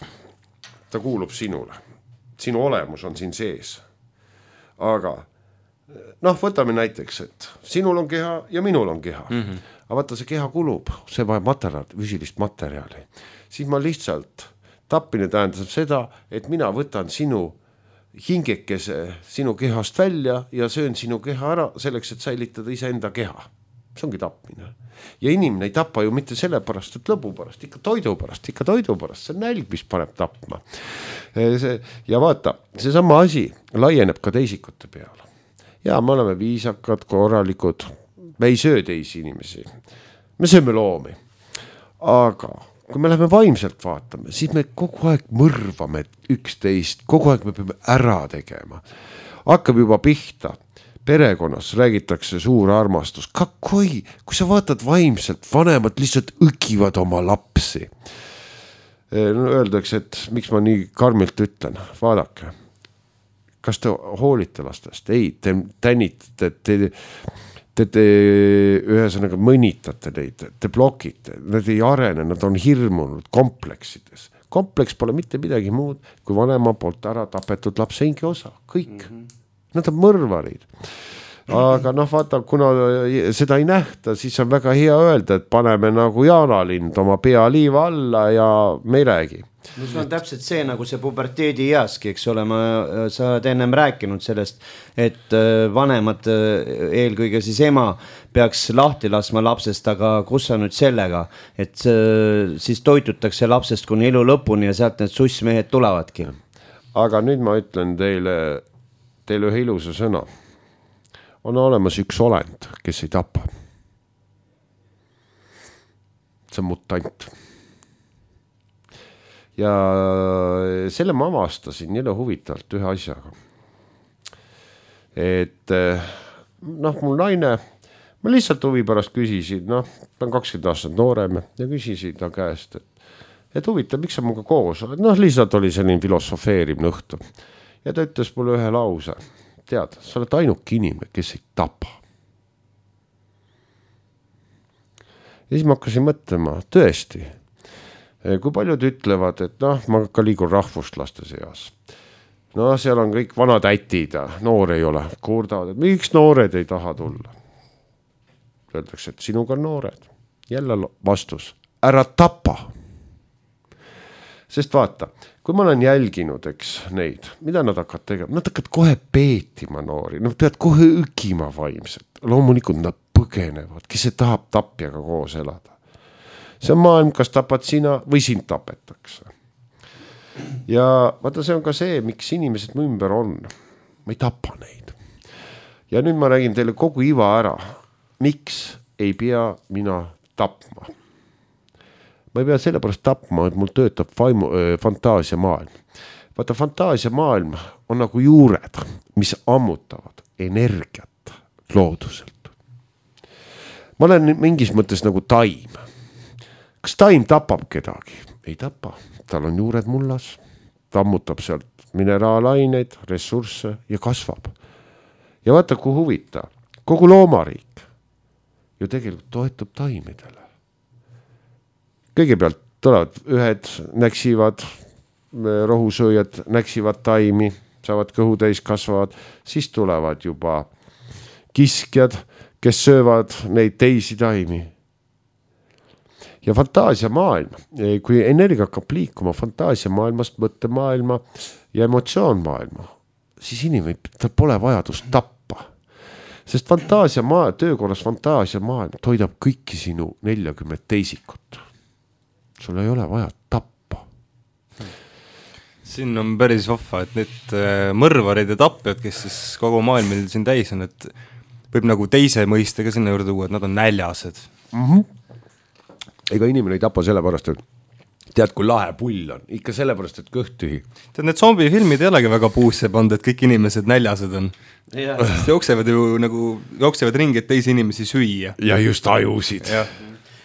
S3: ta kuulub sinule. Sinu olemus on siin sees. Aga noh, võtame näiteks, et sinul on keha ja minul on keha. Mm-hmm. Aga vaata, see keha kulub, see vajab materjali, füüsilist materjali. Siis ma lihtsalt, tappmine tähendab seda, et mina võtan sinu hingekese sinu kehast välja ja söön sinu keha ära selleks, et säilitada iseenda keha. See ongi tapmine. Ja inimene ei tapa ju mitte selle pärast, et lõbu pärast, ikka toidu pärast, ikka toidu pärast, see on nälg, mis paneb tapma. See, ja vaata, see sama asi laieneb ka teisikute peale. Ja me oleme viisakad, korralikud, me ei söö teisi inimesi, me sööme loomi. Aga kui me läheme vaimselt vaatame, siis me kogu aeg mõrvame üksteist, kogu aeg me peame ära tegema. Hakkab juba pihta. Perekonnas räägitakse suur armastus. Kakoi, kui sa vaatad vaimselt, vanemad lihtsalt õgivad oma lapsi. No, öeldakse, et miks ma nii karmilt ütlen, vaadake. Kas te hoolite lastest? Ei, te tänitate, te, te, te ühesõnaga mõnitate neid, te blokite, nad ei arene, nad on hirmunud kompleksides. Kompleks pole mitte midagi muud, kui vanema poolt ära tapetud lapse hingi osa, kõik. Mm-hmm. Nad on mõrvarid. aga noh, vaata, kuna seda ei nähta, siis on väga hea öelda, et paneme nagu jaanalind oma pea liiva alla ja me ei räägi.
S1: No see on täpselt see nagu see puberteedi easki, eks ole, ma, sa oled ennem rääkinud sellest, et vanemad, eelkõige siis ema peaks lahti laskma lapsest, aga kus on nüüd sellega, et siis toitutakse lapsest kuni elu lõpuni ja sealt need sussmehed tulevadki.
S3: Aga nüüd ma ütlen teile, teile ühe ilusa sõna. On olemas üks olend, kes ei tapa. See on mutant. Ja selle ma avastasin jälle huvitavalt ühe asjaga. Et noh, mul naine, ma lihtsalt huvi pärast küsisin, noh, ta on kakskümmend aastat noorem ja küsisin ta käest, et, et huvitav, miks sa muga koos oled? Noh, lihtsalt oli selline filosofeerimine õhtu. Ja ta ütles mulle ühe lause, tead, sa oled ainuke inimene, kes ei tapa. Ja siis ma hakkasin mõtlema, tõesti, kui paljud ütlevad, et noh, ma ka liigun rahvustlaste seas. No seal on kõik vanad ätid ja noor ei ole. Kurdavad, et miks noored ei taha tulla? Öeldakse, et sinuga on noored. Jälle vastus, ära tapa. Sest vaata, kui ma olen jälginud, eks neid, mida nad hakkavad tegema? Nad hakkavad kohe peetima noori, nad peavad kohe ükima vaimselt. Loomulikult nad põgenevad, kes see tahab tapjaga koos elada. See on maailm, kas tapad sina või sind tapetakse. Ja vaata, see on ka see, miks inimesed mu ümber on. Ma ei tapa neid. Ja nüüd ma räägin teile kogu iva ära. Miks ei pea mina tapma? Ma ei pea sellepärast tapma, et mul töötab vaimu, äh, fantaasia maailm. Vaata, fantaasia maailm on nagu juured, mis ammutavad energiat looduselt. Ma olen mingis mõttes nagu taim. Kas taim tapab kedagi? Ei tapa. Tal on juured mullas. Ta ammutab sealt mineraalaineid, ressursse ja kasvab. Ja vaata, kui huvita. Kogu loomariik ju tegelikult toetub taimidele. Kõigepealt tulevad ühed, näksivad, rohusööjad näksivad taimi, saavad kõhutäis, kasvavad. Siis tulevad juba kiskjad, kes söövad neid teisi taimi. Ja fantaasia maailm, kui energia hakkab liikuma fantaasia maailmast, mõtte maailma ja emotsioon maailma, siis inimene, tal pole vajadust tappa. Sest fantaasia maailm, töökorras fantaasia maailm toidab kõiki sinu neljakümmet teisikut. Sul ei ole vaja tappa.
S2: Siin on päris vahva, et need mõrvarid ja tappjad, kes siis kogu maailm siin täis on, et võib nagu teise mõistega sinna juurde tuua, et nad on näljased.
S3: Mhm. Ega inimene ei tapa sellepärast, et tead, kui lahe pull on. Ikka sellepärast, et kõht tühi.
S2: Tead, need zombifilmid ei olegi väga puusse pand, et kõik inimesed näljased on. Ja. Jooksevad ju nagu, jooksevad ringi, et teisi inimesi süüa.
S3: Ja just ajusid. Ja.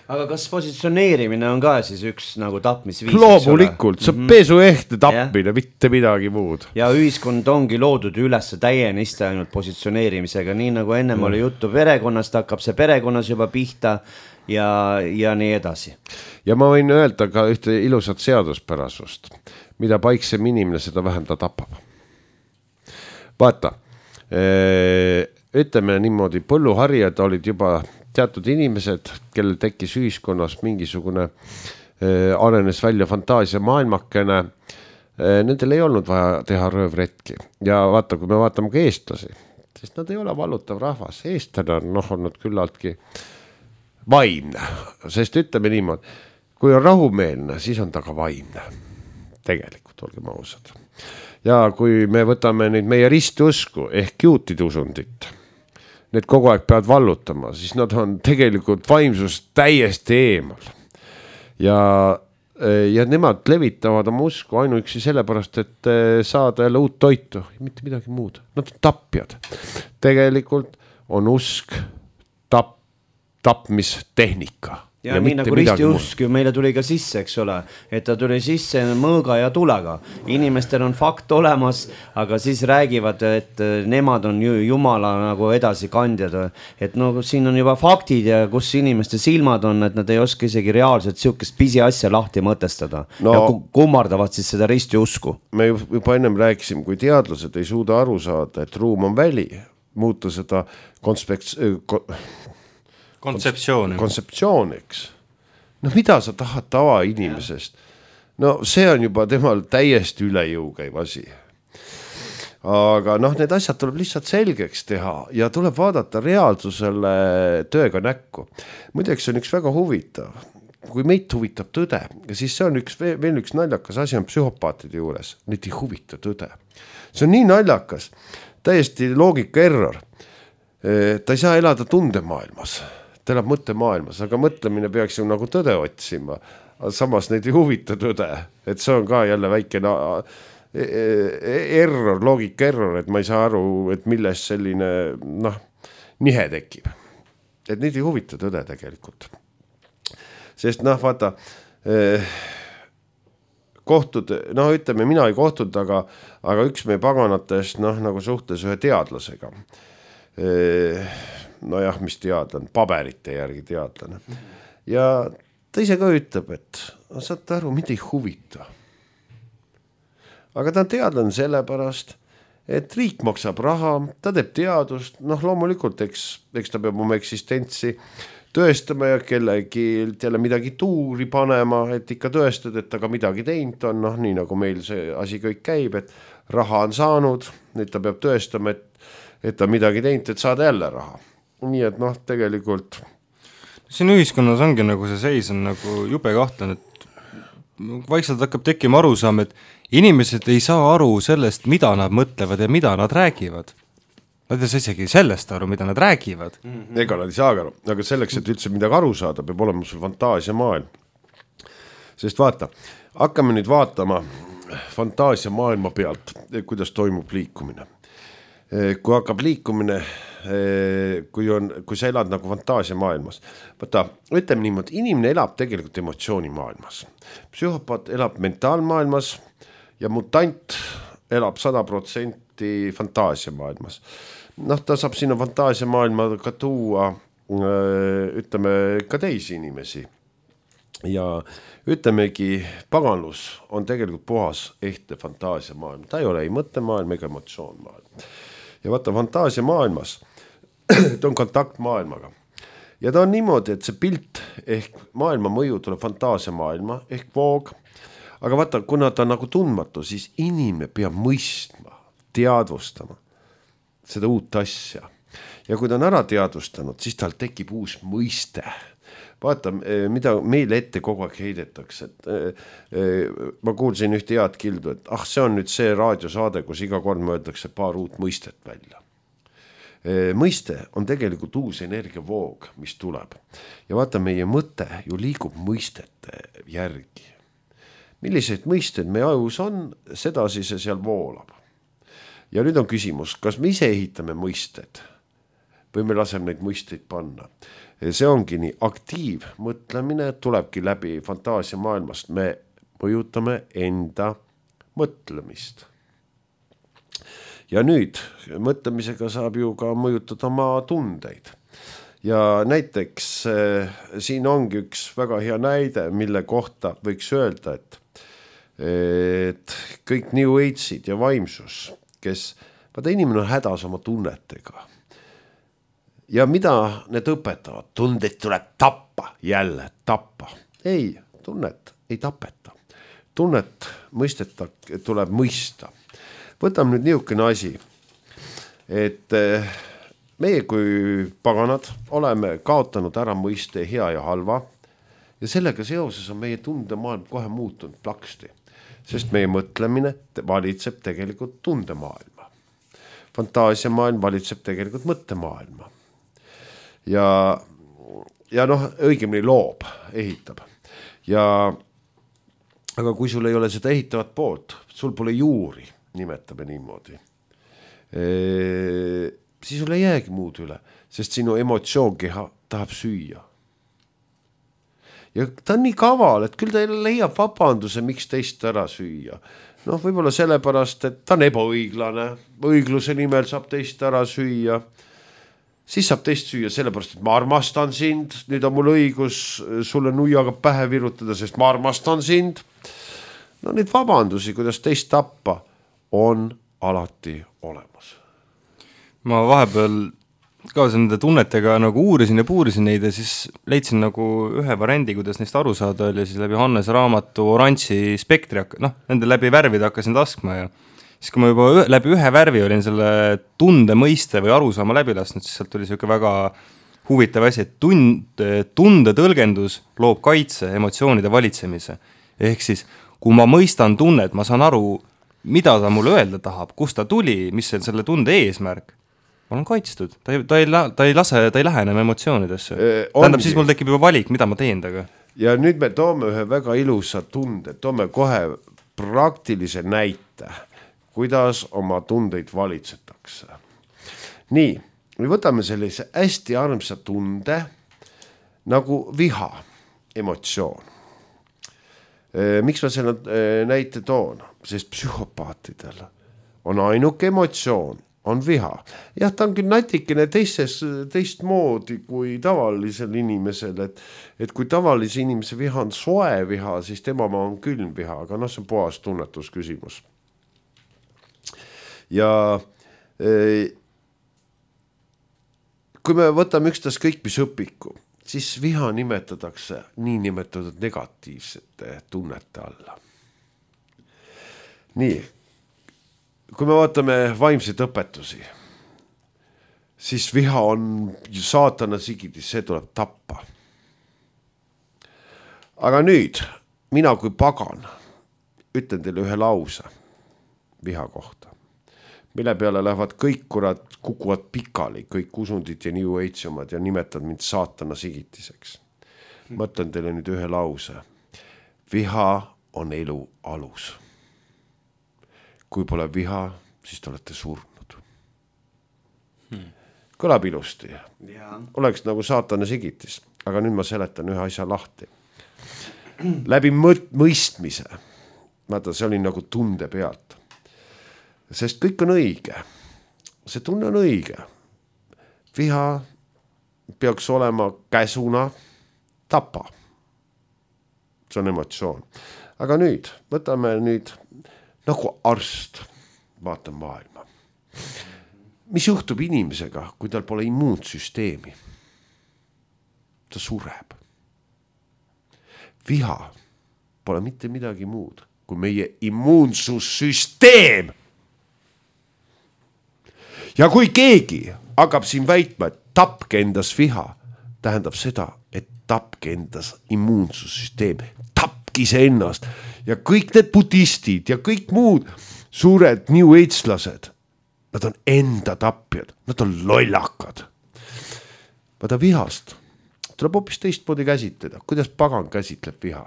S1: Aga kas positsioneerimine on ka siis üks nagu tapmisviis?
S3: Loomulikult, see on pesuehte tapmine, ja. Mitte midagi muud.
S1: Ja ühiskond ongi loodud üles täieniste ainult positsioneerimisega, nii nagu ennem mm. oli juttu perekonnast, hakkab see perekonnas juba pihta ja, ja nii edasi.
S3: Ja ma võin öelda ka ühte ilusat seaduspärasust, mida paiksem inimene, seda vähem ta tapab. Vaata, ütleme niimoodi, põlluharjad olid juba teatud inimesed, kellel tekkis ühiskonnas mingisugune äh, arenes välja fantaasia maailmakene, äh, nendel ei olnud vaja teha röövretki. Ja vaata, kui me vaatame ka eestlasi, siis nad ei ole vallutav rahvas. Eestlane on noh, olnud küllaltki vaimne, sest ütleme niimoodi, kui on rahumeelne, siis on ta ka vaimne. Tegelikult olgem ausad. Ja kui me võtame neid meie ristusku ehk juutide usundit, need kogu aeg peavad vallutama, siis nad on tegelikult vaimsust täiesti eemal. Ja, ja nemad levitavad oma usku ainuüksi sellepärast, et saada jälle uut toitu, mitte midagi muud. Nad on tapjad. Tegelikult on usk tap, tapmistehnika.
S1: Ja, ja nii nagu ristiusk ju meile tuli ka sisse, eks ole, et ta tuli sisse mõõga ja tulega. Inimestel on fakt olemas, aga siis räägivad, et nemad on ju jumala nagu edasi kandjad. Et no siin on juba faktid ja kus inimeste silmad on, et nad ei oska isegi reaalselt siukest pisi asja lahti mõtestada. No, ja kummardavad siis seda ristiusku.
S3: Me juba ennem rääkisime, kui teadlased ei suuda aru saada, et ruum on väli, muuta seda konspeks- ko,
S2: kontseptsiooni.
S3: kontseptsiooniks. No mida sa tahad tava inimesest? No see on juba temal täiesti üle jõu käiv asi. Aga noh, need asjad tuleb lihtsalt selgeks teha ja tuleb vaadata reaalsusele tööga näkku. Muideks on üks väga huvitav. Kui meid huvitab tõde, siis see on üks, veel üks naljakas asi on psühhopaatide juures. Neid ei huvita tõde. See on nii naljakas, täiesti loogika error. Ta ei saa elada tundemaailmas, ta elab mõttemaailmas, aga mõtlemine peaks ju nagu tõde otsima. Samas neid ei huvita tõde, et see on ka jälle väike error, loogika error, et ma ei saa aru, et milles selline noh, nihe tekib. Et neid ei huvita tõde tegelikult. Sest noh, vaata, eh, kohtud, noh ütleme, mina ei kohtud, aga, aga üks meie paganatest noh, nagu suhtes ühe teadlasega. Eh, no jah, mis teadlane, paberite järgi teadlane. Ja ta ise ka ütleb, et saate aru, mind ei huvita. Aga ta on teadlane sellepärast, et riik maksab raha, ta teeb teadust, noh loomulikult, eks, eks ta peab oma eksistentsi tõestama ja kellegi jälle midagi tuuri panema, et ikka tõestad, et ta ka midagi teinud on, noh nii nagu meil see asi kõik käib, et raha on saanud, nüüd ta peab tõestama, et, et ta midagi teinud, et saada jälle raha. Nii et noh, tegelikult
S2: siin ühiskonnas ongi nagu see seis on nagu jube kahtlen, et vaikselt hakkab tekkima arusaam, et inimesed ei saa aru sellest, mida nad mõtlevad ja mida nad räägivad. Nad ei saa isegi sellest aru, mida nad räägivad.
S3: Mm-hmm. Ega nad ei saa aru, aga selleks, et üldse midagi aru saada, peab olema sul fantaasia maailm. Sest vaata, hakkame nüüd vaatama fantaasia maailma pealt, kuidas toimub liikumine. Kui hakkab liikumine, kui, on, kui sa elad nagu fantaasia maailmas. Vaata, ütleme niimoodi, inimene elab tegelikult emotsiooni maailmas. Psühhopaat elab mentaalmaailmas ja mutant elab sada protsenti fantaasia maailmas. Noh, ta saab sinna fantaasia maailma ka tuua, ütleme, ka teisi inimesi. Ja ütlemegi, paganlus on tegelikult puhas ehte fantaasia maailm. Ta ei ole ei mõttemaailm ega emotsioon maailm. Ja vaata, fantaasia maailmas, ta on kontakt maailmaga. Ja ta on niimoodi, et see pilt ehk maailma mõju tuleb fantaasia maailma ehk voog. Aga vaata, kuna ta on nagu tundmatu, siis inimene peab mõistma, teadvustama seda uut asja. Ja kui ta on ära teadvustanud, siis tal tekib uus mõiste. Vaata, mida meile ette kogu aeg heidetakse. Et, ma kuulsin ühte head kildu, et ah, see on nüüd see raadiosaade, kus iga kord mõeldakse paar uut mõistet välja. Mõiste on tegelikult uus energiavoog, mis tuleb. Ja vaata, meie mõte ju liigub mõistete järgi. Millised mõisted meie ajus on, sedasi see seal voolab. Ja nüüd on küsimus, kas me ise ehitame mõisted või me laseme neid mõisteid panna. See ongi nii aktiiv mõtlemine, tulebki läbi fantaasia maailmast. Me mõjutame enda mõtlemist. Ja nüüd mõtlemisega saab ju ka mõjutada oma tundeid. Ja näiteks siin ongi üks väga hea näide, mille kohta võiks öelda, et et kõik New Age'id ja vaimsus, kes, vaata inimene on hädas oma tunnetega. Ja mida need õpetavad? Tundeid tuleb tappa, jälle tappa. Ei, tunnet ei tapeta. Tunnet mõisteta, tuleb mõista. Võtame nüüd niisugune asi, et meie kui paganad oleme kaotanud ära mõiste hea ja halva ja sellega seoses on meie tundemaailm kohe muutunud plaksti. Sest meie mõtlemine valitseb tegelikult tundemaailma. Fantaasia maailm valitseb tegelikult mõttemaailma. Ja, ja noh, õigemini loob, ehitab. Ja, aga kui sul ei ole seda ehitavat poolt, sul pole juuri, nimetame niimoodi, e, siis sul ei jäägi muud üle, sest sinu emotsioonkeha tahab süüa. Ja ta on nii kaval, et küll ta leiab vabanduse, miks teist ära süüa. Noh, võib-olla sellepärast, et ta on ebaõiglane, õigluse nimel saab teist ära süüa. Siis saab teist süüa sellepärast, et ma armastan sind, nüüd on mul õigus sulle nuiaga pähe virutada, sest ma armastan sind. No neid vabandusi, kuidas teist tappa, on alati olemas.
S2: ma vahepeal ka nende tunnetega nagu uurisin ja puurisin neid ja siis leidsin nagu ühe variandi, kuidas neist aru saada oli siis läbi Hannes raamatu oranži spektri, noh, nende läbi värvide hakkasin laskma ja siis kui ma juba ühe, läbi ühe värvi olin selle tunde mõiste või arusaama läbi lasknud, siis sealt tuli siuke väga huvitav asi, et tund, tunde tõlgendus loob kaitse emotsioonide valitsemise. Ehk siis, kui ma mõistan tunnet, ma saan aru, mida ta mulle öelda tahab, kust ta tuli, mis on selle tunde eesmärk, ma olen kaitstud. Ta ei, ta ei, ta ei lase, ta ei lähe enam emotsioonidesse. Tähendab, siis mul tekib juba valik, mida ma teen taga.
S3: Ja nüüd me toome ühe väga ilusa tunde, toome kohe praktilise näite, kuidas oma tundeid valitsetakse. Nii, me võtame sellise hästi armsa tunde nagu viha, emotsioon. Miks ma selle näite toon? Sest psühhopaatidel on ainuke emotsioon, on viha. Jah, ta on küll natikene teistes, teist moodi kui tavalisel inimesel, et, et kui tavalise inimese viha on soe viha, siis tema ma on külm viha, aga noh, see on puhas tunnetusküsimus. Ja e, kui me võtame ükstas kõik, mis õpiku, siis viha nimetatakse nii nimetatud negatiivsete tunnete alla. Nii, kui me vaatame vaimseid õpetusi, siis viha on saatana sigidis, see tuleb tappa. Aga nüüd, mina kui pagan, ütlen teile ühe lause viha kohta, mille peale lähevad kõik kurat, kukuvad pikali, kõik usundid ja New Age omad ja nimetad mind saatana sigitiseks. Ma ütlen teile nüüd ühe lause. Viha on elu alus. Kui pole viha, siis te olete surnud. Hmm. Kõlab ilusti. Ja. Oleks nagu saatana sigitis, aga nüüd ma seletan ühe asja lahti. Läbi mõistmise. Vaata, see oli nagu tunde pealt. Sest kõik on õige. See tunne on õige. Viha peaks olema käsuna tapa. See on emotsioon. Aga nüüd, võtame nüüd nagu arst, vaatan maailma. Mis juhtub inimesega, kui tal pole immuunsüsteemi? Ta sureb. Viha pole mitte midagi muud kui meie immuunsussüsteem. Ja kui keegi hakkab siin väitma, et tapke endas viha, tähendab seda, et tapke endas immuunsussüsteem, tapki see ennast. Ja kõik need budistid ja kõik muud suured New Age-lased, nad on enda tapjad, nad on lollakad. Vaata vihast tuleb hoopis teistmoodi käsitleda. Kuidas pagan käsitleb viha?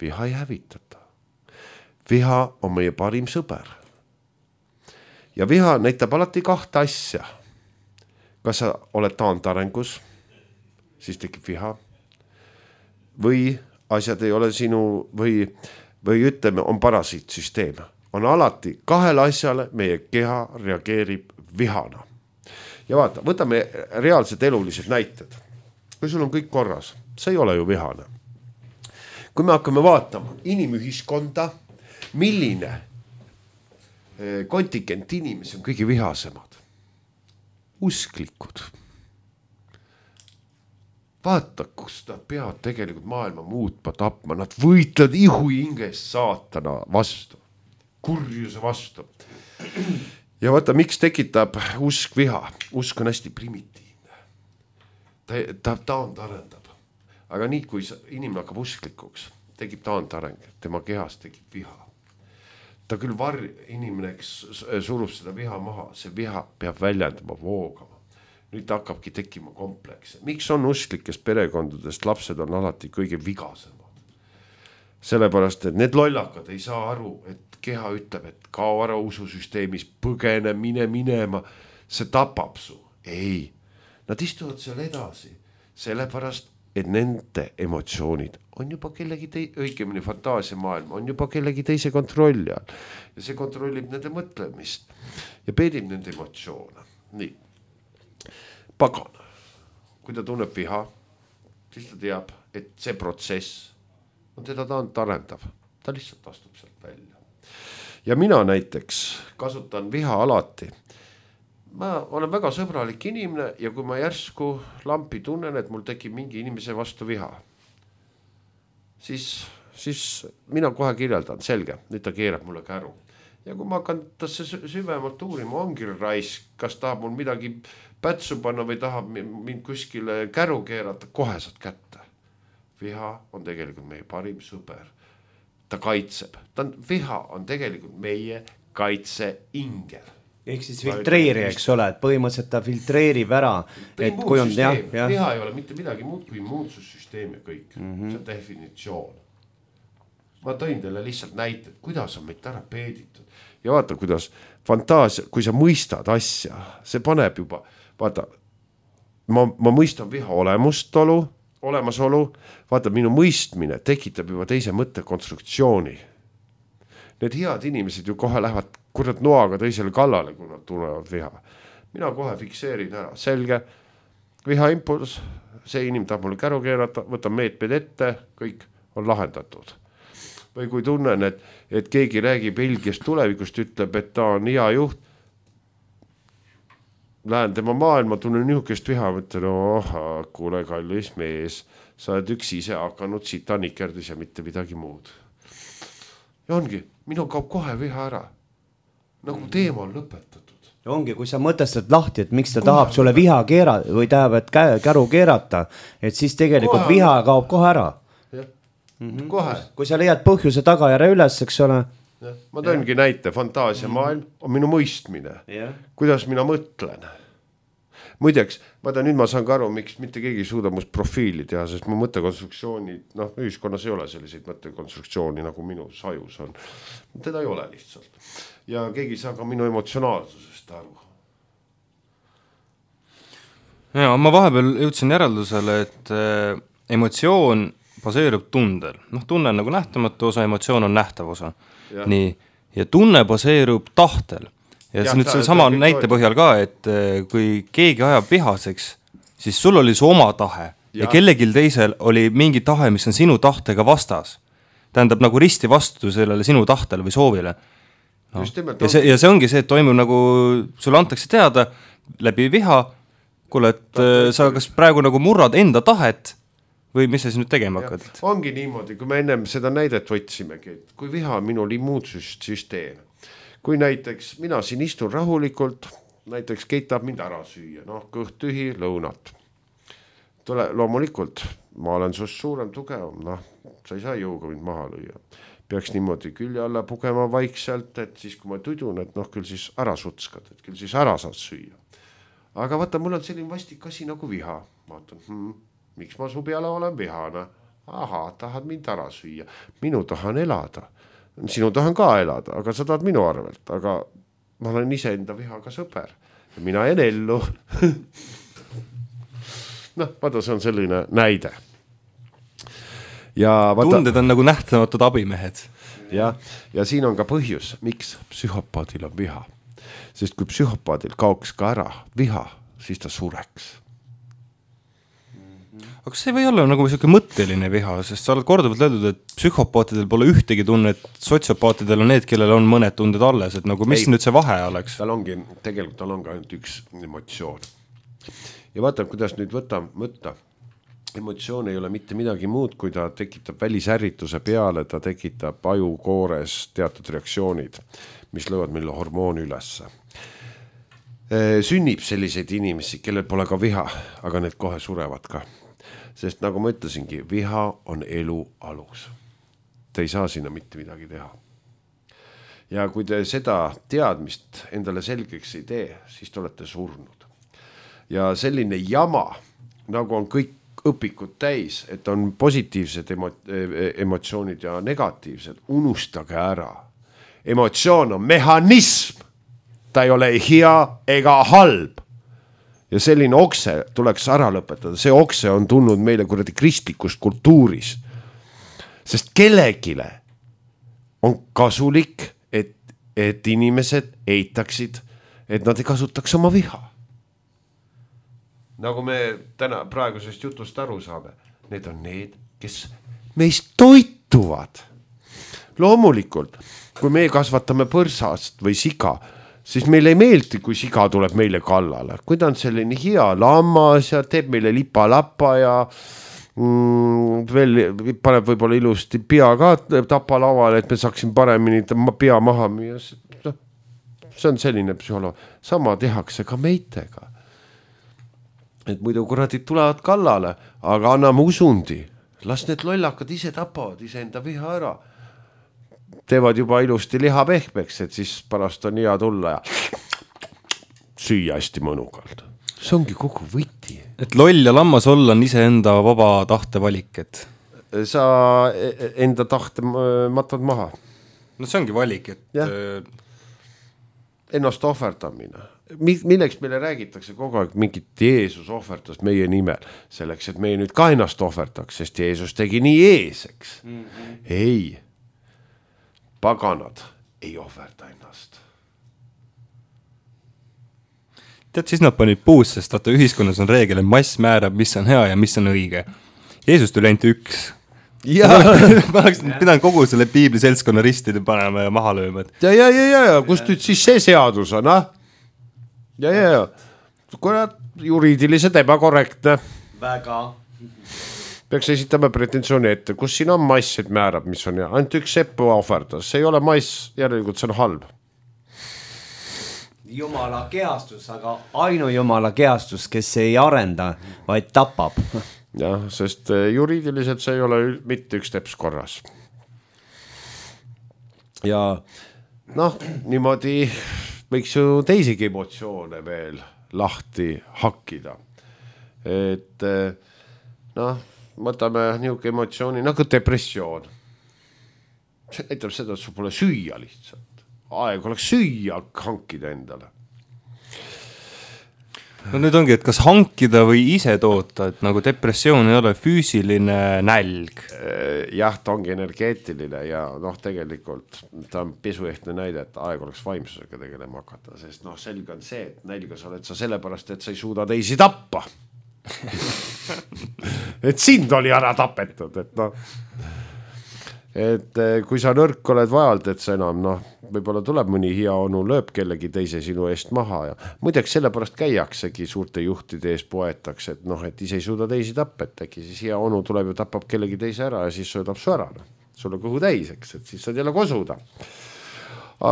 S3: Viha ei hävitata. Viha on meie parim sõber. Ja viha näitab alati kahte asja. Kas sa oled taantarengus, siis tekib viha. Või asjad ei ole sinu, või, või ütleme, on parasiitsüsteem. On alati kahele asjale meie keha reageerib vihana. Ja vaata, võtame reaalsed elulised näited. Kui sul on kõik korras, see ei ole ju vihane. Kui me hakkame vaatama inimühiskonda, milline kontingent inimesi on kõige vihasemad. Usklikud. Vaata, kus nad peavad tegelikult maailma muutma, tapma. Nad võitlevad ihu hingest saatana vastu. Kurjuse vastu. Ja vaata, miks tekitab usk viha? Usk on hästi primitiivne. Ta, ta taandarendab. Aga nii, kui inimene hakkab usklikuks, tekib taandareng. Tema kehas tekib viha. Ta küll var inimene, kes surub seda viha maha, see viha peab väljendama, voogama. Nüüd ta hakkabki tekkima komplekse. Miks on usklikest perekondadest lapsed on alati kõige vigasemad? Sellepärast, et need lollakad ei saa aru, et keha ütleb, et kao ära ususüsteemis, põgene, mine minema, see tapab su. Ei, nad istuvad seal edasi, sellepärast, et nende emotsioonid on juba kellegi tei-, õigemini fantaasiamaailm, on juba kellegi teise kontrolli all. Ja see kontrollib nende mõtlemist ja peedib nende emotsioone. Nii. Pagan, kui ta tunneb viha, siis ta teab, et see protsess on teda taandarendav. Ta lihtsalt astub sealt välja. Ja mina näiteks kasutan viha alati ma olen väga sõbralik inimene ja kui ma järsku lampi tunnen, et mul tekib mingi inimese vastu viha, siis, siis mina kohe kirjeldan, selge, nüüd ta keerab mulle käru. Ja kui ma hakkan tasse süvemalt uurima, ongi raisk, kas tahab mul midagi pätsu panna või tahab mind kuskile käru keerata, kohe saad kätte. Viha on tegelikult meie parim sõber. Ta kaitseb. Ta on, viha on tegelikult meie kaitseingel.
S1: Ehk siis filtreeri, eks ole, et põhimõtteliselt ta filtreerib ära. Et kui on, jah, jah.
S3: Viha ei ole mitte midagi muud kui immuunsussüsteem ja kõik. Mm-hmm. See on definitsioon. Ma tõin teile lihtsalt näited, kuidas on meid ära peeditud. Ja vaata, kuidas fantaasia, kui sa mõistad asja, see paneb juba, vaata, ma, ma mõistan viha olemustolu, olemasolu, vaata, minu mõistmine tekitab juba teise mõttekonstruktsiooni. Need head inimesed ju kohe lähevad kurat noaga teisele kallale, kui nad tunnevad viha. Mina kohe fikseerin ära, selge, viha impuls, see inimene tahab mulle käru keerata, võtan meetmed ette, kõik on lahendatud. Või kui tunnen, et, et keegi räägib Belgiast tulevikust, ütleb, et ta on hea juht, lähen tema maailma, tunnen niisugust viha, mõtlen, oh, kuule kallis mees, sa oled üks ise hakanud sita nikerdis ja mitte midagi muud. Ja ongi, minu kaob kohe viha ära. Nagu teema on lõpetatud.
S1: Ongi, kui sa mõtestad lahti, et miks ta kohe tahab sulle viha keerata või tahab, et käru keerata, et siis tegelikult kohe viha kaob kohe ära. Mm-hmm. Kohe. Kui sa leiad põhjuse tagajärje üles, eks ole.
S3: Ja, ma tõengi näite, fantaasiamaailm on minu mõistmine, ja. Kuidas mina mõtlen. Muideks, ma ta nüüd ma saan ka aru, miks mitte keegi suuda must profiili teha, sest mu mõttekonstruktsiooni, noh, ühiskonnas ei ole selliseid mõttekonstruktsiooni, nagu minu sajus on. Teda ei ole lihtsalt. Ja keegi saa ka minu emotsionaalsusest aru.
S2: Ja, ma vahepeal jõudsin järeldusele, et äh, emotsioon baseerub tundel. Noh, tunne on nagu nähtamatu osa, emotsioon on nähtav osa. Ja. Nii. Ja tunne baseerub tahtel. Ja, ja see nüüd see sama näite põhjal ka, et kui keegi ajab vihaseks, siis sul oli su oma tahe ja, ja kellegil teisel oli mingi tahe, mis on sinu tahtega vastas. Tähendab nagu risti vastu sellele sinu tahtele või soovile. No. Ja, see, ja see ongi see, et toimub nagu, sulle antakse teada läbi viha, kuule, et Tahtel, sa kas praegu nagu murrad enda tahet või mis sa siis nüüd tegema hakkad?
S3: Ongi niimoodi, kui me ennem seda näidet võtsimegi, et kui viha on minul immuunsüsteem, kui näiteks mina siin istun rahulikult, näiteks Keit tahab mind ära süüa, noh, kõht tühi, lõunat. Tule, loomulikult, ma olen sust suurem, tugevam, noh, sa ei saa jõuga mind maha lüüa. Peaks niimoodi külje alla pugema vaikselt, et siis kui ma tudun, et noh, küll siis ära sutskad, et küll siis ära saad süüa. Aga vaata, mul on selline vastik asi nagu viha. Vaatan, hmm, miks ma su peale olen vihana? Aha, tahad mind ära süüa. Minu tahan elada. Sinu tahan ka elada, aga sa tahad minu arvelt. Aga ma olen ise enda vihaga sõber. Ja mina en ellu. noh, vaata, see on selline näide. Ja vaata,
S2: tunded on nagu nähtamatud abimehed.
S3: Ja, ja siin on ka põhjus, miks psühhopaadil on viha. Sest kui psühhopaadil kaoks ka ära viha, siis ta sureks.
S2: Aga see või olla nagu selline mõtteline viha, sest sa oled korduvalt öeldud, et psühhopaatidel pole ühtegi tunne, et sotsiopaatidel on need, kellel on mõned tunded alles, et nagu mis ei, nüüd see vahe oleks?
S3: Tal ongi, tegelikult tal on ka ainult üks emotsioon. Ja vaata, kuidas nüüd võtta, mõtta. Emotsioon ei ole mitte midagi muud, kui ta tekitab välisärrituse peale, ta tekitab ajukoores teatud reaktsioonid, mis lõvad meile hormooni ülesse. Sünnib selliseid inimesi, kellel pole ka viha, aga need kohe surevad ka. Sest nagu ma ütlesingi, viha on elu alus. Te ei saa sinna mitte midagi teha. Ja kui te seda teadmist endale selgeks ei tee, siis te olete surnud. Ja selline jama, nagu on kõik õpikud täis, et on positiivsed emo- emotsioonid ja negatiivsed, unustage ära. Emotsioon on mehhanism. Ta ei ole hea ega halb. Ja selline okse tuleks ära lõpetada. See okse on tulnud meile kuradi kristlikust kultuurist. Sest kellegile on kasulik, et, et inimesed eitaksid, et nad ei kasutaks oma viha. Nagu me täna praegusest jutust aru saame, need on need, kes meist toituvad. Loomulikult, kui me kasvatame põrsast või siga, siis meile ei meeldi, kui siga tuleb meile kallale. Kui ta on selline hea lammas ja teeb meile lipa-lappa ja mm, veel paneb võib-olla ilusti pea ka tapalavale, et me saaksin paremini pea maha müüa. No, see on selline psühholoog. Sama tehakse ka meitega. Et muidu kuradid tulevad kallale, aga anname usundi. Las need lollakad ise tapavad ise enda viha ära. Teevad juba ilusti liha pehmeks, et siis pärast on hea tulla ja süüa hästi mõnukalt. See ongi kogu võti.
S2: Et loll ja lammas olla on ise enda vaba tahte valik, et
S3: sa enda tahte matad maha.
S2: No see ongi valik, et
S3: ja. Ennast ohverdamine. Milleks meile räägitakse kogu aeg mingit Jeesus ohverdast meie nimel, selleks, et meie nüüd ka ennast ohverdaks, sest Jeesus tegi nii eeseks. Mm-hmm. Ei, paganad ei ohverda ennast.
S2: Tead, siis nad panid puus, sest vaata ühiskonnas on reegel, et mass määrab, mis on hea ja mis on õige. Jeesus tuli ainult üks. Ja. Ma oleks pidanud kogu selle piibli seltskonna ristide panema ja maha lööma.
S3: Ja, ja, ja, ja, ja. Kust nüüd siis see seadus on, ah? Ja, ja, ja. Kurat, juriidiliselt ebakorrektne.
S1: Väga.
S3: Peaks esitama pretensiooni ette, kus siin on mass, et määrab, mis on hea. Ainult üks seppu ohverdas. See ei ole mass, järelikult see on halb.
S1: Jumala kehastus, aga ainu jumala kehastus, kes ei arenda, vaid tapab.
S3: Jah, sest juriidiliselt see ei ole mitte üks teps korras. Ja noh, niimoodi võiks ju teisigi emotsioone veel lahti hakkida. Et noh, võtame niuke emotsiooni nagu depressioon. See näitab seda, et sul pole süüa lihtsalt. Aeg oleks süüa hankida endale.
S2: No nüüd ongi, et kas hankida või ise toota, et nagu depressioon ei ole füüsiline nälg.
S3: Jah, ta ongi energeetiline ja noh, tegelikult ta on pesuehtne näide, et aeg oleks vaimsusega tegelema hakata, sest noh, selge on see, et nälgas oled sa sellepärast, et sa ei suuda teisi tappa. Et sind oli ära tapetud, et noh, et kui sa nõrk oled vajalt, et sa enam noh, võib-olla tuleb mõni hea onu, lööb kellegi teise sinu eest maha ja muideks sellepärast käiaksegi suurte juhtide ees poetakse, et noh, et ise ei suuda teisi tappet, äkki siis hea onu tuleb ja tapab kellegi teise ära ja siis söödab su ära, no. Sulle kõhu täiseks, et siis saad jälle kosuda.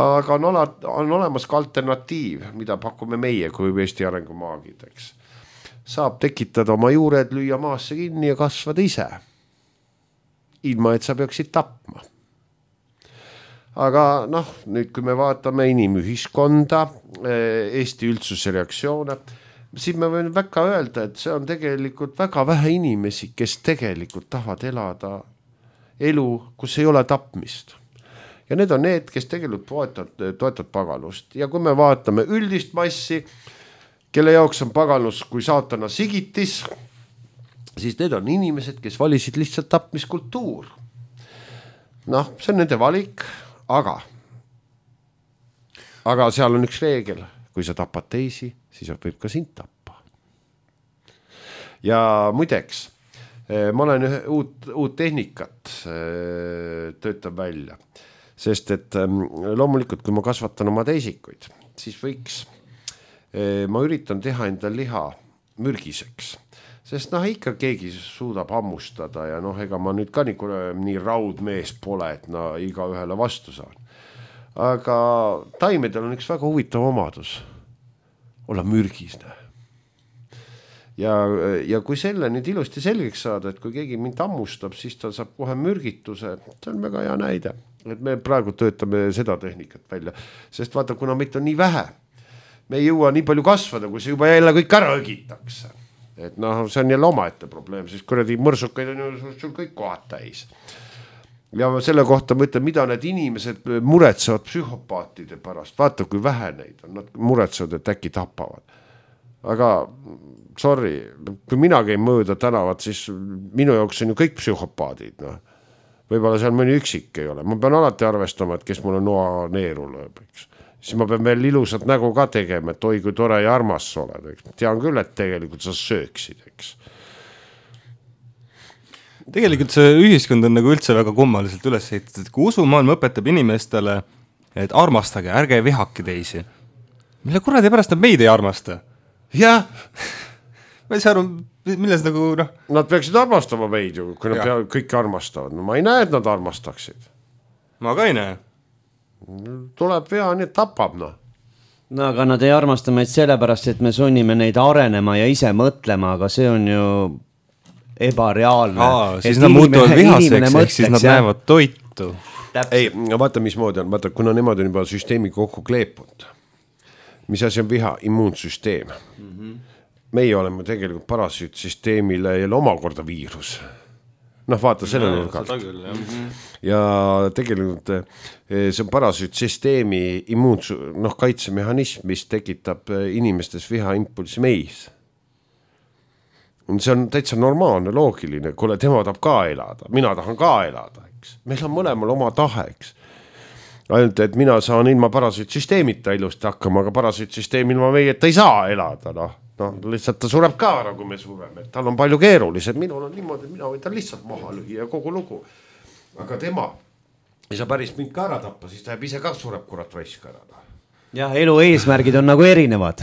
S3: Aga on, ole, on olemas ka alternatiiv, mida pakume meie kui Eesti arengumaagid, eks. Saab tekitada oma juured, lüüa maasse kinni ja kasvada ise. Ilma, et sa peaksid tapma. Aga noh, nüüd kui me vaatame inimühiskonda, Eesti üldsuse reaktsioone, siis me võime väga öelda, et see on tegelikult väga vähe inimesi, kes tegelikult tahavad elada elu, kus ei ole tapmist. Ja need on need, kes tegelikult toetavad, toetavad paganust. Ja kui me vaatame üldist massi, kelle jaoks on paganus kui saatana sigitis, siis need on inimesed, kes valisid lihtsalt tapmiskultuur. Noh, see on nende valik, aga aga seal on üks reegel, kui sa tapad teisi, siis võib ka sind tappa. Ja muideks, ma olen ühe uut, uut tehnikat töötab välja, sest et loomulikult, kui ma kasvatan oma teisikuid, siis võiks, ma üritan teha enda liha mürgiseks. Sest noh, ikka keegi suudab hammustada ja noh, ega ma nüüd ka nii, nii raudmees pole, et no iga ühele vastu saan. Aga taimedel on üks väga huvitav omadus. Olla mürgisne. Ja, ja kui selle nüüd ilusti selgeks saada, et kui keegi mind hammustab, siis ta saab kohe mürgituse. See on väga hea näide. Et me praegu töötame seda tehnikat välja. Sest vaata, kuna meid on nii vähe, me ei jõua nii palju kasvada, kui see juba jälle kõik ära õgitakse. Et noh, see on jälle omaette probleem, siis kuradi mõrsukaid on ju sul kõik kohad täis. Ja selle kohta ma ütlen, mida need inimesed muretsevad psühhopaatide pärast. Vaata, kui vähe neid on, nad muretsevad, et äkki tapavad. Aga, sorry, kui mina käin mööda tänavat, siis minu jaoks on ju kõik psühhopaadid. No. Võib-olla seal mõni üksik ei ole. Ma pean alati arvestama, et kes mulle noa neeru lööb, eks. Siis ma pean veel ilusat nägu ka tegema, et oi kui tore ja armas sa oled. Eks. Tean küll, et tegelikult sa sööksid, eks.
S2: Tegelikult see ühiskond on nagu üldse väga kummaliselt üles ehitatud, et kui usumaailm õpetab inimestele, et armastage, ärge vihake teisi, mille kuradi pärast nad meid ei armasta?
S3: jah.
S2: ma ei saa aru, milles nagu noh.
S3: Nad peaksid armastama meid ju, kui nad pea, kõiki armastavad. No ma ei näe, et nad armastaksid.
S2: Ma ka ei näe.
S3: Tuleb vea, nii et tapab, noh.
S1: No aga nad ei armasta meid sellepärast, et me sunnime neid arenema ja ise mõtlema, aga see on ju ebareaalne.
S2: Aa, siis nad muutuvad vihaseks, ehk siis nad näevad toitu.
S1: Täpselt.
S3: Ei, vaata mismoodi on, vaata, kuna nemad on juba süsteemi kokku kleepunud. Mis asi on viha? Immuunsüsteem. Mm-hmm. Meie oleme tegelikult parasüütsüsteemile jälle omakorda viirus. Noh, vaata selle no, nurgalt. Mm-hmm. Ja tegelikult see on parasüütsüsteemi immuuns, noh, kaitsemehhanism, mis tekitab inimestes vihaimpulsi meis. See on täitsa normaalne, loogiline, kuule, tema tahab ka elada, mina tahan ka elada, eks. Meil on mõlemal oma tahe, eks. Ainult, et mina saan ilma parasüütsüsteemita ilusti hakkama, aga parasüütsüsteem ilma meie, et ta ei saa elada, noh. No, lihtsalt ta sureb ka ära, kui me sureme. Tal on palju keerulised, minul on niimoodi, et mina võin ta lihtsalt maha lühia ja kogu lugu. Aga tema ei saa päris mind ka ära tappa, siis ta jääb ise ka sureb kurat raisk ära.
S1: Jah, elu eesmärgid on nagu erinevad.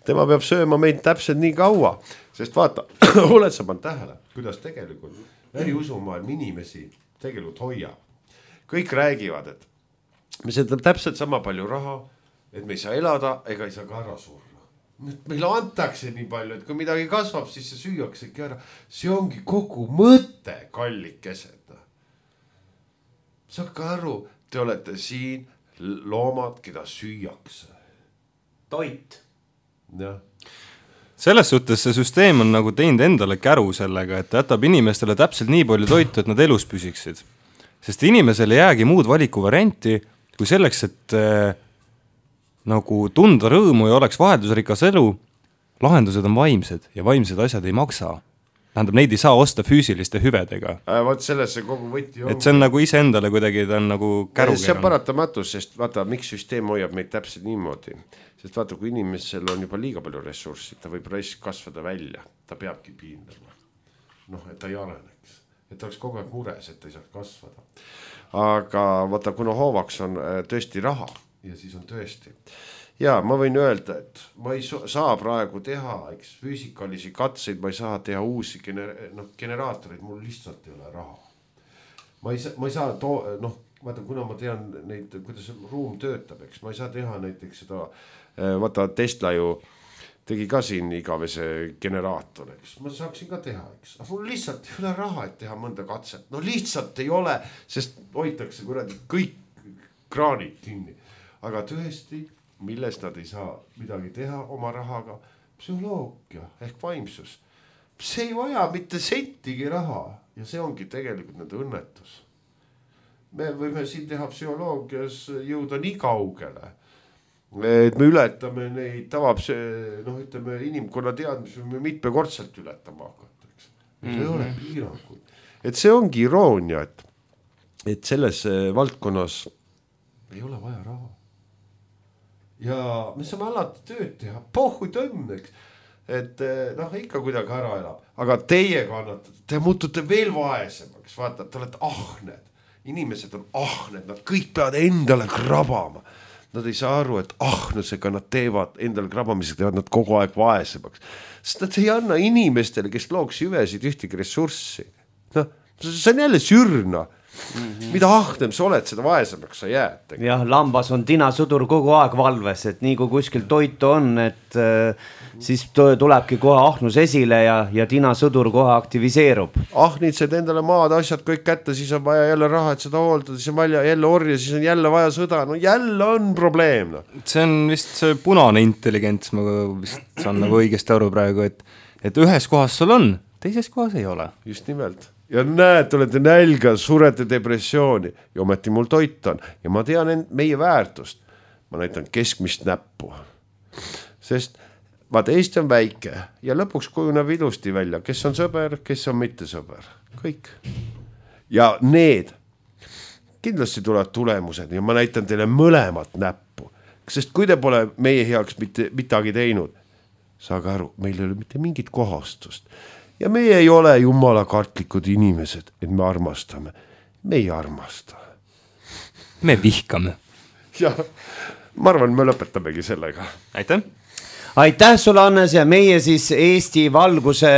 S3: Tema peab sööma meid täpselt nii kaua, sest vaata, oled sa pannud tähele, kuidas tegelikult äriusumaailm inimesi tegelikult hoiab. Kõik räägivad, et me seda täpselt sama palju raha, et me ei saa elada ega ei saa ka ära surra. Meile antakse nii palju, et kui midagi kasvab, siis see süüaksegi ära. See ongi kogu mõte, kallikesed. Saake aru, te olete siin loomad, keda süüakse.
S1: Toit.
S3: Jah.
S2: Selles suhtes see süsteem on nagu teinud endale käru sellega, et jätab inimestele täpselt nii palju toitu, et nad elus püsiksid. Sest inimesele jäägi muud valiku varianti, kui selleks, et äh, nagu tunda rõõmu ja oleks vaheldusrikas elu, lahendused on vaimsed ja vaimsed asjad ei maksa. Tähendab, neid ei saa osta füüsiliste hüvedega.
S3: Äh, vaat sellesse kogu võti on.
S2: Et see on nagu ise endale kuidagi, ta on nagu käru.
S3: See on paratamatus, sest vaata, miks süsteem hoiab meid täpselt niimoodi. Sest vaata, kui inimesel on juba liiga palju ressurssi, ta võib raisk kasvada välja. Ta peabki piindama. Noh, et ta ei areneks. Et ta oleks kogu aeg mures, et ta ei saaks kasvada. Aga vaata, kuna hoovaks on tõesti raha ja siis on tõesti. Ja ma võin öelda, et ma ei saa praegu teha eks, füüsikalisi katseid, ma ei saa teha uusi gener- no, generaatoreid, mul lihtsalt ei ole raha. Ma ei saa, ma ei saa to- noh, vaata, kuna ma tean neid, kuidas ruum töötab, eks, ma ei saa teha näiteks seda, vaata Tesla ju tegi ka siin igavese generaator, eks, ma saaksin ka teha, eks, aga mul lihtsalt ei ole raha, et teha mõnda katset, no lihtsalt ei ole, sest hoitakse kuradi kõik kraanid kinni, aga tõesti, milles nad ei saa midagi teha oma rahaga, psühholoogia ehk vaimsus. See ei vaja mitte sentigi raha ja see ongi tegelikult nende õnnetus. Me võime siin teha psühholoogias jõuda nii kaugele, et me ületame neid tavab see, noh, ütleme, inimkonna teadmisi me mitmekordselt ületama hakata. Meil mm-hmm. ei ole piiranguid. Et see ongi iroonia, et, et selles valdkonnas ei ole vaja raha. Ja me saame alati tööd teha, pohhu tõmmeks, et noh, ikka kuidagi ära elab. Aga teie kannatate, te muutute veel vaesemaks, vaata, te olete ahned. Inimesed on ahned, nad kõik peavad endale krabama. Nad ei saa aru, et ahnusega nad teevad endale krabamisega, teevad nad kogu aeg vaesemaks. Sest nad ei anna inimestele, kes looks hüvesid ühtegi ressurssi. Noh, see on jälle sürna. Mm-hmm. Mida ahnem sa oled, seda vaesemaks sa jääd.
S1: Jah, lambas on tinasudur kogu aeg valves, et nii kui kuskil toitu on, et äh, siis tulebki kohe ahnus esile ja, ja tinasudur kohe aktiviseerub.
S3: Ahnitsed endale maad, asjad kõik kätte, siis on vaja jälle raha, et seda hooldada, siis on vaja jälle orja, siis on jälle vaja sõda, no jälle on probleem. No.
S2: See on vist see punane intelligents, ma vist saan nagu õigesti aru praegu, et, et ühes kohas sul on, teises kohas ei ole.
S3: Just nimelt. Ja näed, olete nälga, surete depressiooni ja ometi mul toit on. Ja ma tean end, meie väärtust. Ma näitan keskmist näppu. Sest vaata, Eesti on väike ja lõpuks kujuneb ilusti välja, kes on sõber, kes on mitte sõber. Kõik. Ja need kindlasti tulevad tulemused ja ma näitan teile mõlemat näppu. Sest kui te pole meie heaks mitte midagi teinud, saage aru, meil ei ole mitte mingit kohastust. Ja meie ei ole jumala kartlikud inimesed, et me armastame. Me ei armasta.
S2: Me vihkame.
S3: Ja ma arvan, me lõpetamegi sellega.
S2: Aitäh!
S1: Aitäh sulle, Hannes, ja meie siis Eesti valguse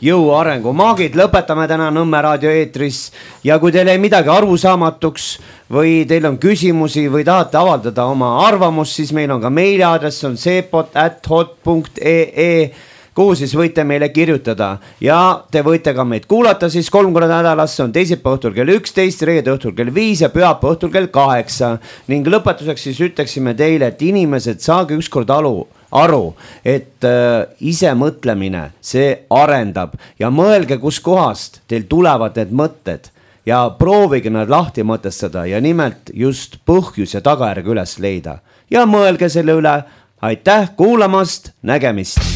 S1: jõu arengu maagid lõpetame täna Nõmme raadio eetris ja kui teil ei midagi arusaamatuks või teil on küsimusi või tahate avaldada oma arvamust, siis meil on ka meiliaadress, on seepot at hot punkt ee, kuhu siis võite meile kirjutada ja te võite ka meid kuulata siis kolm korda nädalas, see on teisipäeva õhtul kell üksteist, reede õhtul kell viis ja pühapäeva õhtul kell kaheksa ning lõpetuseks siis ütleksime teile, et inimesed, saage ükskord alu aru, et äh, ise mõtlemine, see arendab ja mõelge, kus kohast teil tulevad need mõtted ja proovige nad lahti mõtestada ja nimelt just põhjus ja tagajärg üles leida ja mõelge selle üle. Aitäh kuulamast, nägemist!